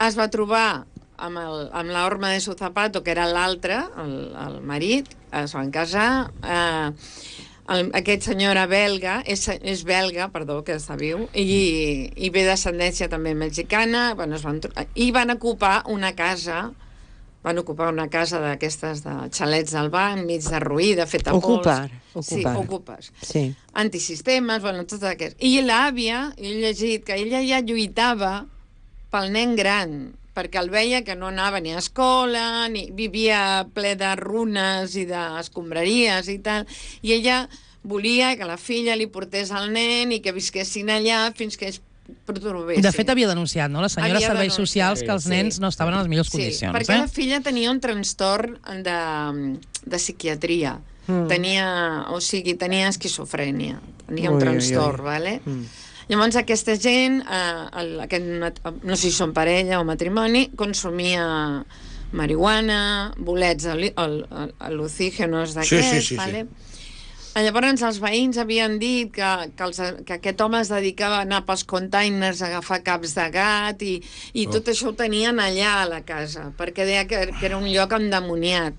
F: Es va trobar amb la Horma de su zapato, que era l'altre, el marit, es van casar... aquest senyor era belga, és belga, perdó, que està viu, i ve d'ascendència també mexicana, bueno, i van ocupar una casa d'aquestes de xalets del banc, mig derruïda, feta pols. Sí, ocupes.
E: Sí.
F: Antisistemes, bueno, tot aquest. I l'àvia, he llegit que ella ja lluitava pel nen gran, perquè el veia que no anava ni a escola, ni vivia ple de runes i d'escombraries i tal, i ella volia que la filla li portés el nen i que visquessin allà fins que es pertorbessin.
B: De fet, havia denunciat, no?, la senyora Serveis Socials, que els nens no estaven en les millors condicions.
F: Perquè la filla tenia un trastorn de psiquiatria. Tenia esquizofrènia. Tenia un trastorn, vale? Llavors aquesta gent, no sé si són parella o matrimoni, consumia marihuana, bolets al·lucígenos d'aquests, vale? Llavors els veïns havien dit que aquest home es dedicava a anar pels containers a agafar caps de gat i tot això ho tenien allà a la casa, perquè deia que era un lloc endemoniat.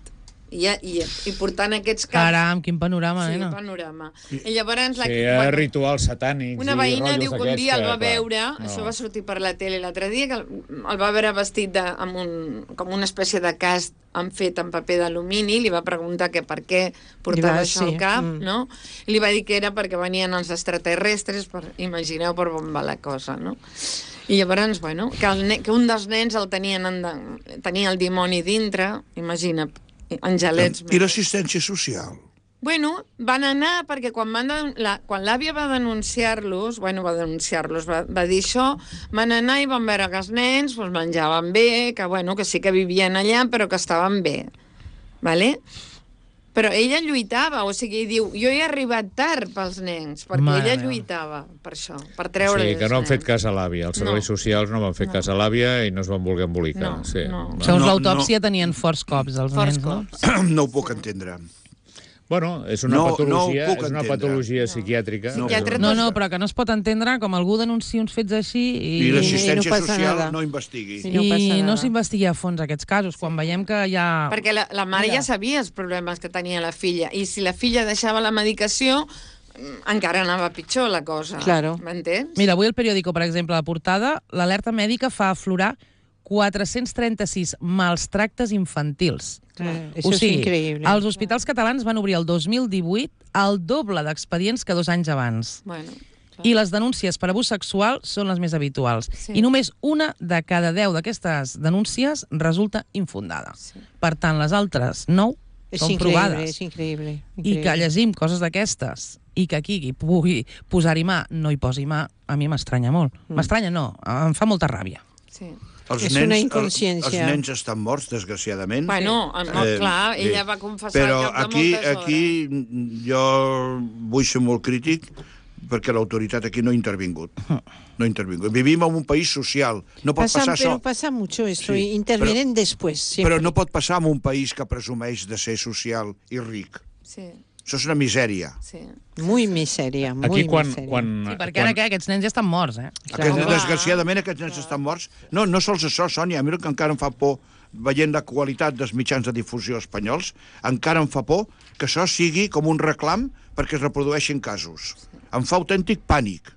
F: I portant aquests caps...
B: Caram, quin panorama, nena.
F: Sí, panorama. I llavors...
D: Sí, rituals satànics.
F: Una veïna diu que un dia el va veure, això va sortir per la tele l'altre dia, que el va veure vestit com una espècie de casc fet en paper d'alumini, li va preguntar que per què portava això al cap, no? I li va dir que era perquè venien els extraterrestres, imagineu per on va la cosa, no? I llavors, bueno, que un dels nens tenia el dimoni dintre, imagina, angelets.
C: I l'assistència social?
F: Bueno, van anar perquè quan l'àvia va denunciar-los, va dir això, van anar i van veure que els nens menjaven bé, que sí que vivien allà, però que estaven bé. Vale? Però ella lluitava, o sigui, diu, jo he arribat tard pels nens, perquè ella lluitava per això, per treure els nens.
D: Sí, que no han fet cas a l'àvia, els serveis socials no van fer cas a l'àvia i no es van voler embolicar.
B: Segons l'autòpsia tenien forts cops, els nens, no?
C: No ho puc entendre.
D: Bueno, és una patologia psiquiàtrica.
B: No, però que no es pot entendre com algú denuncia uns fets així
C: i l'assistència social no investigui.
B: I no s'investigui a fons aquests casos, quan veiem que hi ha...
F: Perquè la mare ja sabia els problemes que tenia la filla, i si la filla deixava la medicació, encara anava pitjor la cosa. M'entens?
B: Mira, avui el periòdico, per exemple, a la portada, l'alerta mèdica fa aflorar 436 maltractes infantils.
E: Això és increïble.
B: Els hospitals catalans van obrir el 2018 el doble d'expedients que 2 anys abans. I les denúncies per abús sexual són les més habituals. I només una de cada 10 d'aquestes denúncies resulta infundada. Per tant, les altres 9 són provades.
E: És increïble.
B: I que llegim coses d'aquestes i que aquí pugui posar-hi mà, no hi posi mà, a mi m'estranya molt. M'estranya no, em fa molta ràbia.
F: Sí.
E: És una inconsciència.
C: Els nens estan morts, desgraciadament.
F: Bueno, clar, ella va confessar
C: però
F: que moltes hores.
C: aquí jo vull ser molt crític perquè l'autoritat aquí no ha intervingut. No ha intervingut. Vivim en un país social. No pot passar això.
E: Pero pasa mucho esto. Intervienen después.
C: Però no pot passar en un país que presumeix de ser social i ric.
F: Sí.
C: Això és una misèria.
F: Sí.
E: Muy misèria, muy
D: aquí
E: misèria.
B: Sí, perquè ara aquests nens ja estan morts, eh?
C: Desgraciadament aquests nens estan morts. No sols això, Sònia, mira que encara em fa por, veient la qualitat dels mitjans de difusió espanyols, encara em fa por que això sigui com un reclam perquè es reprodueixin casos. Em fa autèntic pànic.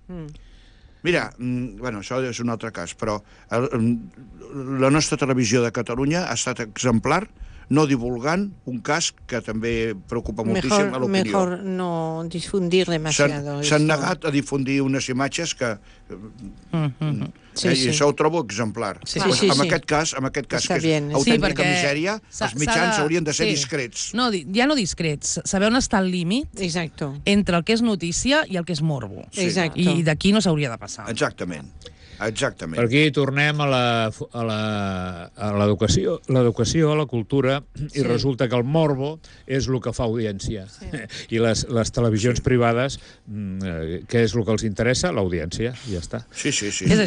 C: Mira, bueno, això és un altre cas, però la nostra televisió de Catalunya ha estat exemplar no divulgant un cas que també preocupa moltíssim a l'opinió.
E: Mejor no difundir demasiado.
C: S'han negat a difundir unes imatges que... I això ho trobo exemplar. En aquest cas, que és autèntica misèria, els mitjans haurien de ser discrets.
B: No, ja no discrets, saber on està el límit entre el que és notícia i el que és morbo. I d'aquí no s'hauria de passar.
C: Exactament.
D: Per aquí tornem a l'educació, a la cultura, i resulta que el morbo és el que fa audiència. I les televisions privades, què és el que els interessa? L'audiència, ja està.
C: Sí.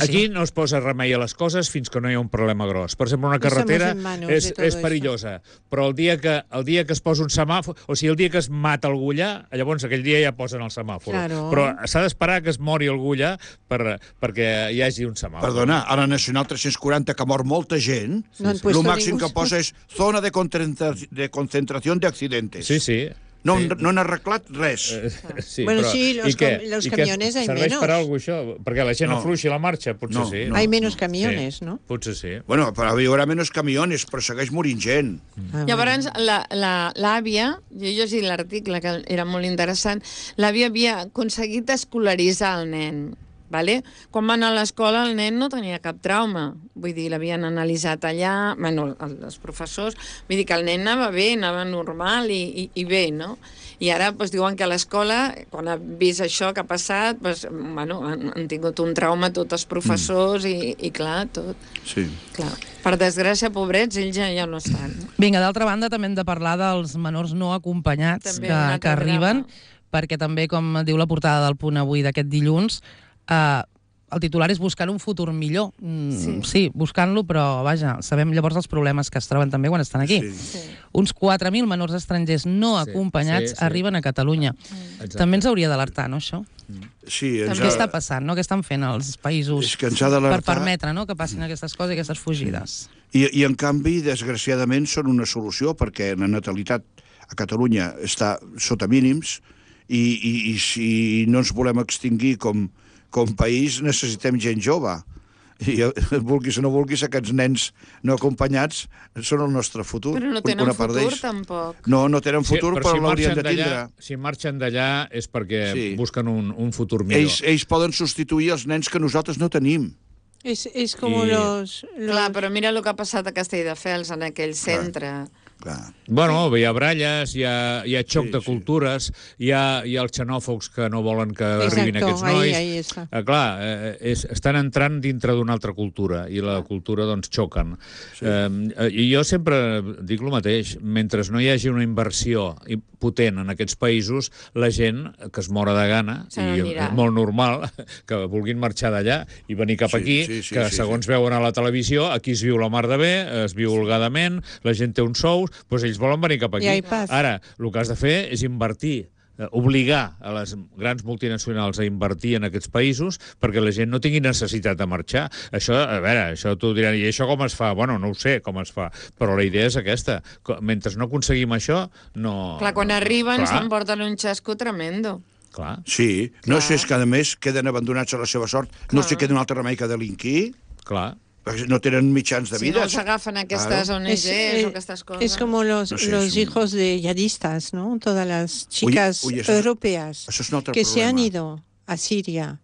D: Aquí no es posa remei a les coses fins que no hi ha un problema gros. Per exemple, una carretera és perillosa, però el dia que es posa un semàfor, o sigui, el dia que es mata algú allà, llavors aquell dia ja posen el semàfor. Però s'ha d'esperar que es mori algú allà perquè hi hagi un semàfor.
C: Perdona, a la Nacional 340, que mor molta gent, el màxim que posa és zona de concentració d'accidentes.
D: Sí.
C: No han arreglat res.
D: Sí,
E: Bueno,
D: però,
E: sí, los
D: i què?
E: los
D: I què
E: camiones hay
D: serveix
E: menos.
D: per alguna cosa, això? Perquè la gent
C: No.
D: afluixi la marxa? Potser
C: No,
D: sí.
C: no.
E: Hay menos camiones,
D: Sí,
E: ¿no?
D: potser sí.
C: Bueno, però hi haurà menys camiones, però segueix morint gent.
E: Ah,
F: Llavors, l'àvia, jo he llegit l'article, que era molt interessant, l'àvia havia aconseguit escolaritzar el nen. Vale? Quan va anar a l'escola el nen no tenia cap trauma, vull dir, l'havien analitzat allà, bueno, els professors, vull dir que el nen anava bé, anava normal i bé, no? I ara doncs, diuen que a l'escola, quan ha vist això que ha passat, doncs, bueno, han tingut un trauma tots els professors i clar, tot.
C: Sí.
F: Clar. Per desgràcia, pobrets, ells ja no estan.
B: Vinga, d'altra banda, també hem de parlar dels menors no acompanyats
F: També un altre
B: que arriben,
F: drama.
B: perquè també, com diu la portada del Punt avui d'aquest dilluns, el titular és buscant un futur millor. Sí, buscant-lo, però vaja, sabem llavors els problemes que es troben també quan estan aquí.
C: Sí.
B: Uns 4.000 menors estrangers no acompanyats arriben a Catalunya.
D: Exacte.
B: També ens hauria d'alertar, no, això?
C: Sí,
B: Què està passant, no? Què estan fent els països
C: És que ens ha d'alertar.
B: per permetre, no?, que passin aquestes coses i aquestes fugides?
C: I en canvi, desgraciadament, són una solució, perquè la natalitat a Catalunya està sota mínims i si no ens volem extingir com país, necessitem gent jove. I vulguis o no vulguis, aquests nens no acompanyats són el nostre futur.
F: Però no tenen
C: una part
F: futur,
C: d'ells.
F: tampoc.
C: No tenen futur, però
D: si
C: l'haurien
D: marxen
C: de tindre.
D: Si marxen d'allà és perquè
C: Sí.
D: busquen un futur millor.
C: Ells poden substituir els nens que nosaltres no tenim.
E: Es como
D: Y-
E: los...
F: Clar, però mira el que ha passat a Castelldefels, en aquell centre.
C: Clar.
D: Bueno, hi ha baralles, hi ha xoc
C: Sí,
D: de
C: sí.
D: cultures, hi ha els xenòfobs que no volen que arribin
E: Exacto,
D: aquests nois.
E: ahí está.
D: Clar, estan entrant dintre d'una altra cultura i la cultura, doncs, xoquen. I jo sempre dic el mateix, mentre no hi hagi una inversió potent en aquests països, la gent que es mora de gana,
F: Se
D: i
F: n'anirà.
D: és molt normal que vulguin marxar d'allà i venir cap
C: Sí,
D: aquí,
C: sí, sí,
D: que
C: sí,
D: segons veuen a la televisió, aquí es viu la mar de bé, es viu holgadament, la gent té uns sous, doncs ells volen venir cap aquí.
E: I hay paz.
D: Ara, el que has de fer és invertir, obligar a les grans multinacionals a invertir en aquests països perquè la gent no tingui necessitat de marxar. Això, a veure, això t'ho diran, i això com es fa? Bueno, no ho sé com es fa, però la idea és aquesta. Mentre no aconseguim això, no...
F: Clar, quan arriben
D: Clar,
F: s'emporten un xasco tremendo.
D: Clar,
C: Sí, no sé, és que a més queden abandonats a la seva sort. No
F: Clar.
C: sé, queda un altre remei que delinquir,
D: clar.
C: perquè no tenen mitjans de
F: Si
C: vida.
F: no s'agafen aquestes ONGs o aquestes coses.
E: Es como los
C: No sé,
E: los
C: es un-
E: hijos de yadistas, ¿no? Todas las chicas
C: Oye, eso-
E: europeas
C: eso es un otro
E: que se han
C: problema.
E: ido a Siria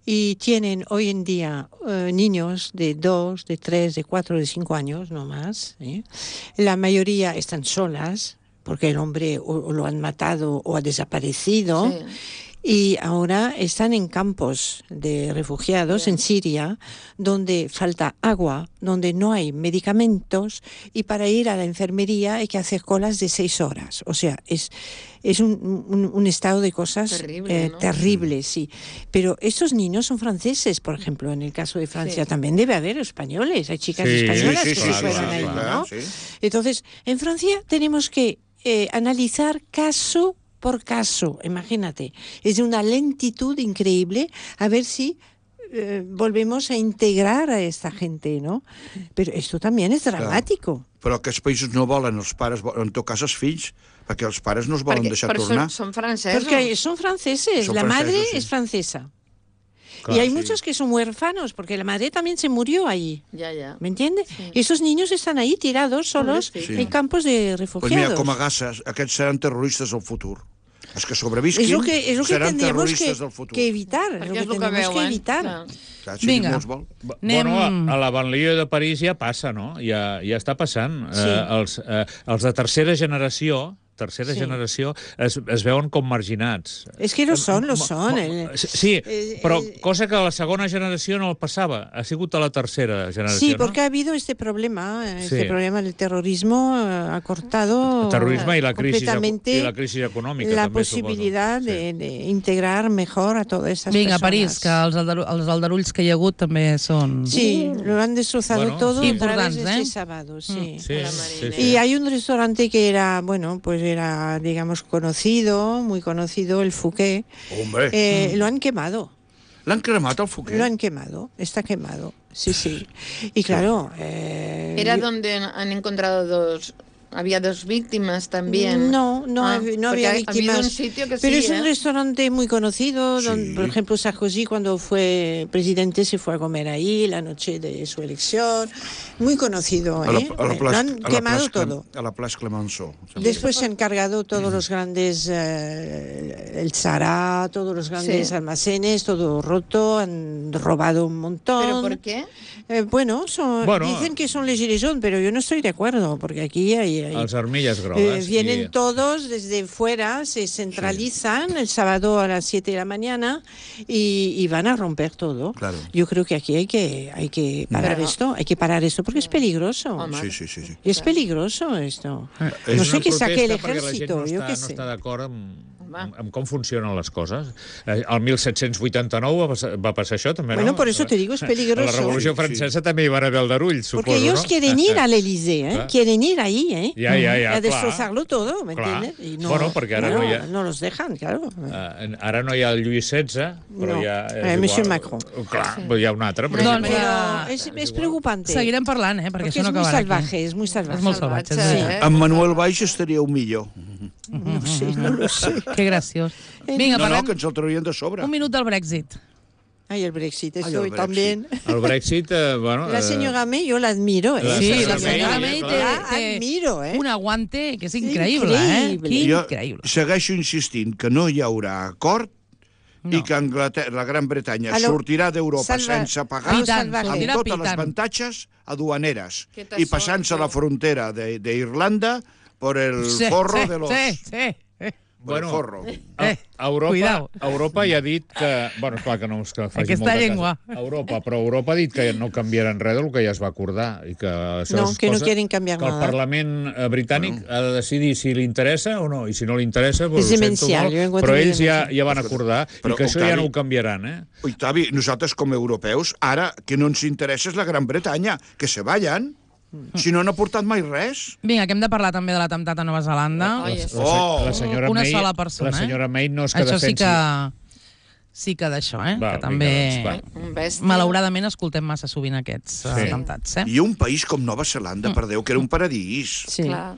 E: y tienen hoy en día niños de 2, de 3, de 4, de 5 años, no más. La mayoría están solas porque el hombre o lo han matado o ha desaparecido.
F: Sí.
E: Y ahora están en campos de refugiados en Siria, donde falta agua, donde no hay medicamentos, y para ir a la enfermería hay que hacer colas de 6 horas. O sea, es un estado de cosas
F: Terrible, ¿no?
E: terrible, sí. Pero estos niños son franceses, por ejemplo. En el caso de Francia
F: Sí.
E: también debe haber españoles. Hay chicas
D: Sí,
E: españolas
C: sí,
E: que
C: sí,
E: se
C: sí,
E: fueron
C: sí,
E: ahí,
C: claro,
E: ¿no?
C: sí.
E: Entonces, en Francia tenemos que analizar caso por caso, imagínate. Es de una lentitud increíble a ver si volvemos a integrar a esta gente, ¿no? Pero esto también es dramático.
C: Però aquests països no volen, els pares, en tot cas els fills, perquè els pares no es volen deixar
F: però
C: tornar.
F: són francesos.
E: Porque son franceses,
C: Son
E: la madre
C: francesos, sí.
E: es francesa.
C: Claro,
E: y hay
C: sí.
E: muchos que son huérfanos, porque la madre también se murió allí.
F: Ja.
E: ¿Me entiendes? Esos niños están ahí tirados solos
F: Pobrecito.
E: en campos de
C: Pues
E: refugiados.
C: mira, com a gasses, aquests seran terroristes del futur. Els que sobrevisquin
E: es lo que
C: seran
E: tendríamos
C: terroristes del futur.
E: que evitar, es
F: Perquè
E: lo
F: és
E: que
F: el que
E: tenemos que
F: veuen.
E: evitar.
F: Clar.
C: Clar, si
B: Vinga.
C: ningú els vol.
B: Anem-
D: Bueno, a la banlieue de París ja passa, no? Ja està passant.
E: Sí.
D: Els de tercera generació
E: Sí.
D: generació es veuen com marginats.
E: Es que lo son.
D: Sí, però cosa que a la segona generació no el passava. Ha sigut a la tercera generació,
E: Sí,
D: no?
E: porque ha habido este problema
D: Sí.
E: del terrorismo ha cortado
D: El terrorisme i la crisi
E: completamente
D: econòmica.
E: la
D: també,
E: posibilidad
D: suposo.
E: de integrar mejor a todas estas
B: Vinga,
E: personas.
B: París, que els aldarulls que hi ha hagut també són...
E: Sí, lo han destrozado
D: Bueno,
E: todo
D: sí.
E: a través de
B: Importants,
E: este sábado, sí.
D: Sí,
F: la
D: sí,
F: Marinera.
D: sí.
E: Y hay un restaurante que era, bueno, pues era, digamos, conocido, muy conocido, el Fouquet.
C: Hombre,
E: Lo han quemado.
C: l'han cremat, el Fouquet?
E: Lo han quemado, está quemado, sí, sí. Y claro...
F: Era donde han encontrado Había 2 víctimas también.
E: No había víctimas.
F: Un sitio que
E: pero
F: sí,
E: es un restaurante muy conocido.
C: Sí.
E: Donde, por ejemplo, Sarkozy, cuando fue presidente, se fue a comer ahí la noche de su elección. Muy conocido, ¿eh? Lo han quemado todo.
C: A la Place Clemenceau.
E: Después se han cargado todos los grandes, el Zara, todos los grandes almacenes, todo roto, han robado un montón.
F: ¿Pero por qué?
E: Bueno, dicen que son les Gilets jaunes, pero yo no estoy de acuerdo, porque aquí hay
D: Els armilles grogues.
E: vienen todos desde fuera, se centralizan el sábado a las 7 de la mañana y van a romper todo.
C: Claro.
E: Yo creo que aquí hay que parar esto, porque es peligroso.
C: Sí.
E: Y es peligroso esto.
C: És
E: No sé
D: una
E: què saque el
D: protesta perquè la gent
E: ejército, jo què
D: no
E: sé.
D: està d'acord amb com funcionen les coses. El 1789 va passar això, també,
E: Bueno,
D: no?
E: por eso te digo, es peligroso.
D: A la Revolució Francesa també hi van haver aldarulls, suposo,
E: Porque ellos
D: no?
E: quieren ir al Élysée,
D: Clar.
E: quieren ir ahí,
D: Ja,
E: a
D: clar.
E: destrozarlo todo, ¿me
D: Clar.
E: entiendes? Y
D: Bueno, perquè ara no hi ha-
E: no los dejan, claro.
D: Ara no hi ha el Lluís XVI, però
E: No.
D: hi ha...
E: Monsieur Macron.
D: Clar, hi ha un altre, però...
B: Doncs,
E: Pero es preocupante.
B: seguirem parlant, perquè
E: Porque
B: això
E: es
B: no
E: muy
B: acabarà
E: salvaje,
B: aquí.
E: es muy salvaje.
B: És molt salvatge,
F: Salvatge,
B: sí.
C: Amb Manuel Valls estaríeu millor.
E: No lo sé.
B: Que graciós. Vinga,
C: No,
B: parlem
C: que ens el traurien de sobre.
B: un minut del Brexit.
E: Ay, el Brexit,
C: Ay,
E: estoy
C: el Brexit.
E: también.
D: El Brexit, bueno...
E: La señora May, yo la admiro.
D: La
B: Sí,
D: senyora
B: la senyora
D: May,
B: May
D: clar.
B: té
E: admiro,
B: un aguante que és
E: Sí,
B: increïble,
E: increïble.
C: Jo
B: Increïble.
C: segueixo insistint que no hi haurà acord i que la Gran Bretanya sortirà d'Europa sense pagar,
B: Pitant,
C: amb
B: sortirà
C: totes les
B: pitant.
C: avantatges aduaneres
F: Que
C: i passant-se a la frontera d'Irlanda por el forro de los...
B: Sí.
C: Por el forro.
D: Europa ja ha dit que... Bueno, esclar que no és que faci
B: Aquesta
D: molta
B: llengua.
D: Casa. Però Europa ha dit que no canviaran res del que ja es va acordar. I que això
E: No,
D: és
E: que no
D: cosa
E: quieren cambiar
D: que el
E: nada.
D: Parlament britànic ha de decidir si li interessa o no. I si no li interessa, doncs
E: És
D: ho sento
E: demencial,
D: molt.
E: jo encuentro
D: Però
E: que
D: ells
E: és
D: ja van acordar i
C: Però,
D: que això ja
C: Octavi,
D: no ho canviaran, eh?
C: Octavi, nosaltres com a europeus, ara que no ens interessa és la Gran Bretanya, que se vayan. Si no, no ha portat mai res.
B: Vinga, que hem de parlar també de l'atemptat a Nova Zelanda.
C: Oh!
D: La senyora
B: Una
D: May,
B: sola persona,
D: la senyora May no és que
B: Això
D: defensi...
B: sí que d'això, que
D: vinga,
B: també...
D: doncs, va.
F: Un bèstia.
B: Malauradament escoltem massa sovint aquests atemptats,
C: I un país com Nova Zelanda, per Déu, que era un paradís.
E: Sí.
F: Clar.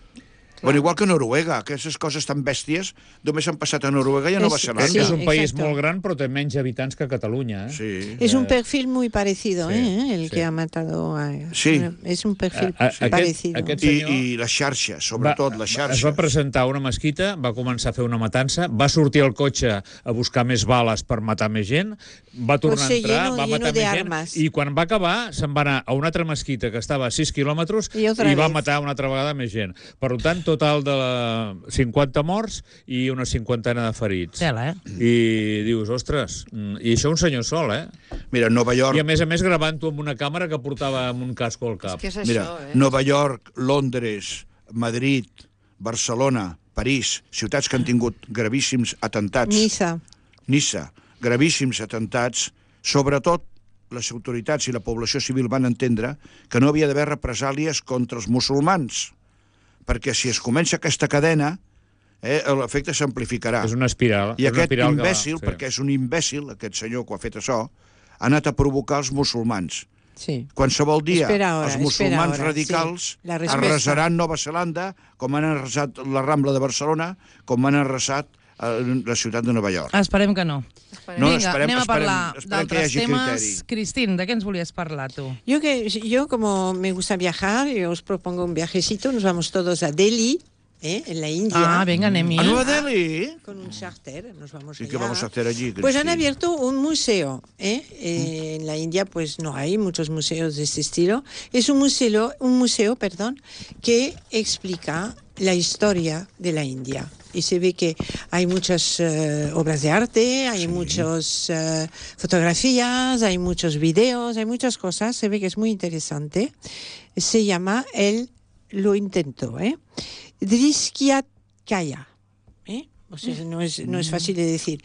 C: Bueno, igual que Noruega, que aquestes coses tan bèsties només han passat a Noruega i a Nova
E: Sí,
C: Zelanda.
D: És un país
E: exacto.
D: molt gran, però té menys habitants que Catalunya, eh?
C: Sí.
E: Es un perfil muy parecido,
D: sí,
E: el
D: sí.
E: que ha matado a...
C: Sí.
E: Es un perfil
D: Aquest-
E: parecido.
D: aquest-
C: I la xarxa, sobretot la
D: Es
C: xarxa.
D: va presentar a una mesquita, va començar a fer una matança, va sortir al cotxe a buscar més bales per matar més gent, va tornar
E: Pues sí,
D: a entrar,
E: lleno-
D: va
E: lleno
D: matar
E: de
D: més gent,
E: armes.
D: i quan va acabar se'n va anar a una altra mesquita que estava a 6 quilòmetres
E: I otra
D: va
E: vez.
D: matar una altra vegada més gent. Per tant, total de 50 morts i una cinquantena de ferits.
B: Tela,
D: I dius, ostres, i això un senyor sol, eh?
C: Mira, Nova York,
D: I a més gravant-ho amb una càmera que portava amb un casco al cap.
F: Què és
C: mira,
F: això,
C: Nova York, Londres, Madrid, Barcelona, París, ciutats que han tingut gravíssims atemptats. Niça, gravíssims atemptats, sobretot les autoritats i la població civil van entendre que no havia d'haver represàlies contra els musulmans, perquè si es comença aquesta cadena, l'efecte s'amplificarà.
D: És una espiral.
C: I
D: és una
C: aquest
D: espiral que
C: imbècil,
D: va,
C: perquè és un imbècil, aquest senyor que ho ha fet això, ha anat a provocar els musulmans.
E: Sí.
C: Qualsevol dia
E: Espera
C: els
E: ahora,
C: musulmans
E: espera ahora,
C: radicals
E: sí. La respuesta.
C: arrasaran Nova Zelanda, com han arrasat la Rambla de Barcelona, com han arrasat la ciutat de Nova York.
B: Esperem que no.
C: No,
B: Vinga, anem a parlar
C: esperem que hi
B: d'altres
C: hagi
B: temes.
C: criteri.
B: Cristín, de què ens volies parlar, tu?
E: Yo como me gusta viajar, yo os propongo un viajecito, nos vamos todos a Delhi, en la India.
B: Ah, vinga, anem-hi.
C: A Nueva Delhi?
E: Con un charter, nos vamos
C: ¿Y
E: allá.
C: qué vamos a hacer allí,
E: Pues han
C: Cristina?
E: abierto un museo. En la India pues no hay muchos museos de este estilo. Es un museo, que explica la historia de la India. Y se ve que hay muchas obras de arte, hay muchas fotografías, hay muchos videos, hay muchas cosas. Se ve que es muy interesante. Se llama Lo intento, Driskyatkaya. O sea, no es fácil de decir.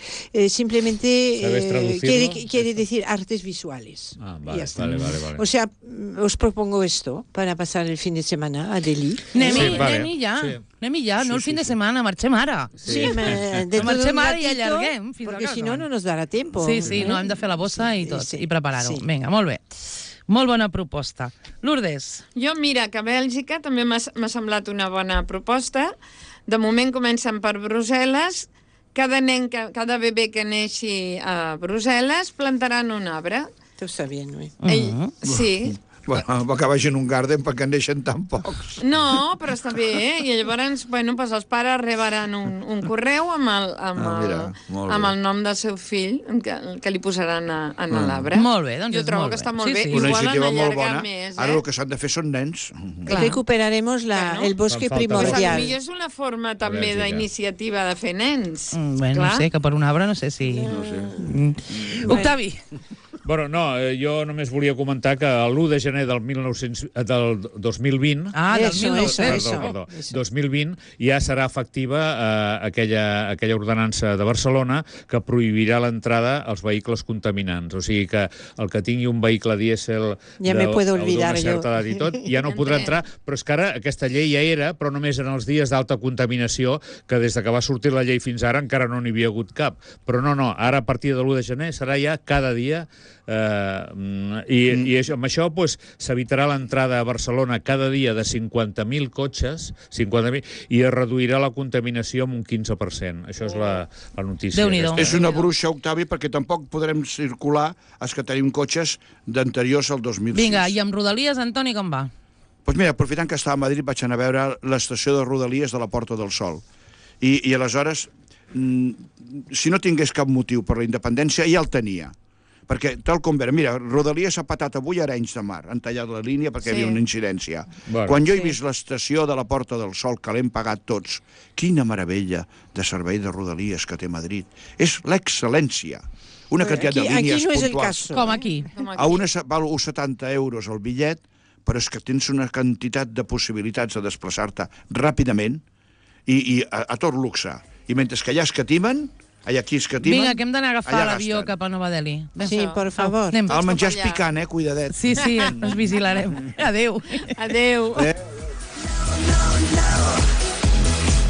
E: Simplemente
D: ¿Sabes traducirlo?
E: quiere decir artes visuales.
D: Ah,
E: Y
D: vale,
E: ya está.
D: vale.
E: O sea, os propongo esto para pasar el fin de semana a Delhi.
B: Anem-hi,
D: Sí, vale.
B: anem-hi ja.
D: Sí.
B: Anem-hi ja, no el
C: Sí,
B: fin de
C: sí.
B: setmana, marxem ara.
E: Sí, dentro de un
B: Marxem ara i
E: ratito,
B: allarguem fins a
E: porque
B: casa.
E: si no, no nos dará tiempo.
B: Sí, no, hem de fer la bossa i tot,
E: Sí,
B: i preparar-ho.
E: sí.
B: Vinga, molt bé. Molt bona proposta. Lourdes.
F: Jo, mira, que a Bèlgica també m'ha semblat una bona proposta. De moment comencen per Brussel·les. Cada bebè que neixi a Brussel·les plantaran un arbre.
E: Tot està bé, no?
F: Sí.
C: Bueno, que vagin un garden perquè en neixen tan pocs.
F: No, però està bé, I llavors, bueno, doncs els pares rebaran un correu amb el nom del seu fill que li posaran a l'arbre.
B: Molt bé, doncs
F: jo trobo que està molt bé.
C: Una
F: Igual
C: iniciativa
F: en
C: molt
F: allargar
C: bona.
F: més.
C: Ara el que s'han de fer són nens.
E: Recuperaremos el bosque primordial.
F: Potser és una forma també d'iniciativa de fer nens.
B: Bueno, no sé, que per un arbre no sé si... Octavi.
D: Bueno, no, jo només volia comentar que l'1 de gener del 2020...
B: Ah, del
D: 2020 ja serà efectiva aquella ordenança de Barcelona que prohibirà l'entrada als vehicles contaminants. O sigui que el que tingui un vehicle dièsel d'una certa edat i tot, ja no podrà entrar, però és que ara aquesta llei ja era, però només en els dies d'alta contaminació, que des que va sortir la llei fins ara encara no n'hi havia hagut cap. Però no, ara a partir de l'1 de gener serà ja cada dia i amb això s'evitarà l'entrada a Barcelona cada dia de 50.000 cotxes, 50.000, i es reduirà la contaminació amb un 15%. Això és la notícia.
C: És una bruixa, Octavi, perquè tampoc podrem circular els que tenim cotxes d'anteriors al 2006.
B: Vinga, i amb Rodalies, Antoni, com va?
C: Doncs mira, aprofitant que estava a Madrid, vaig anar a veure l'estació de Rodalies de la Porta del Sol. I aleshores, si no tingués cap motiu per la independència, ja el tenia. Perquè, tal com veure, mira, Rodalies ha patat avui a Arenys de Mar, han tallat la línia perquè hi havia una incidència. Quan jo he vist l'estació de la Porta del Sol, que l'hem pagat tots, quina meravella de servei de Rodalies que té Madrid. És l'excel·lència. Una quantitat de línies puntuals. Aquí no és el cas.
B: Com aquí.
C: A una val 70 euros el bitllet, però és que tens una quantitat de possibilitats de desplaçar-te ràpidament i a tot luxe. I mentre que allà escatimen, aquí escatimen...
B: Vinga, que hem d'anar a agafar l'avió cap a Nova Delhi.
E: Sí, per favor.
C: El menjar és picant, cuidadet.
B: Sí, ens vigilarem. Adéu.
F: Adéu.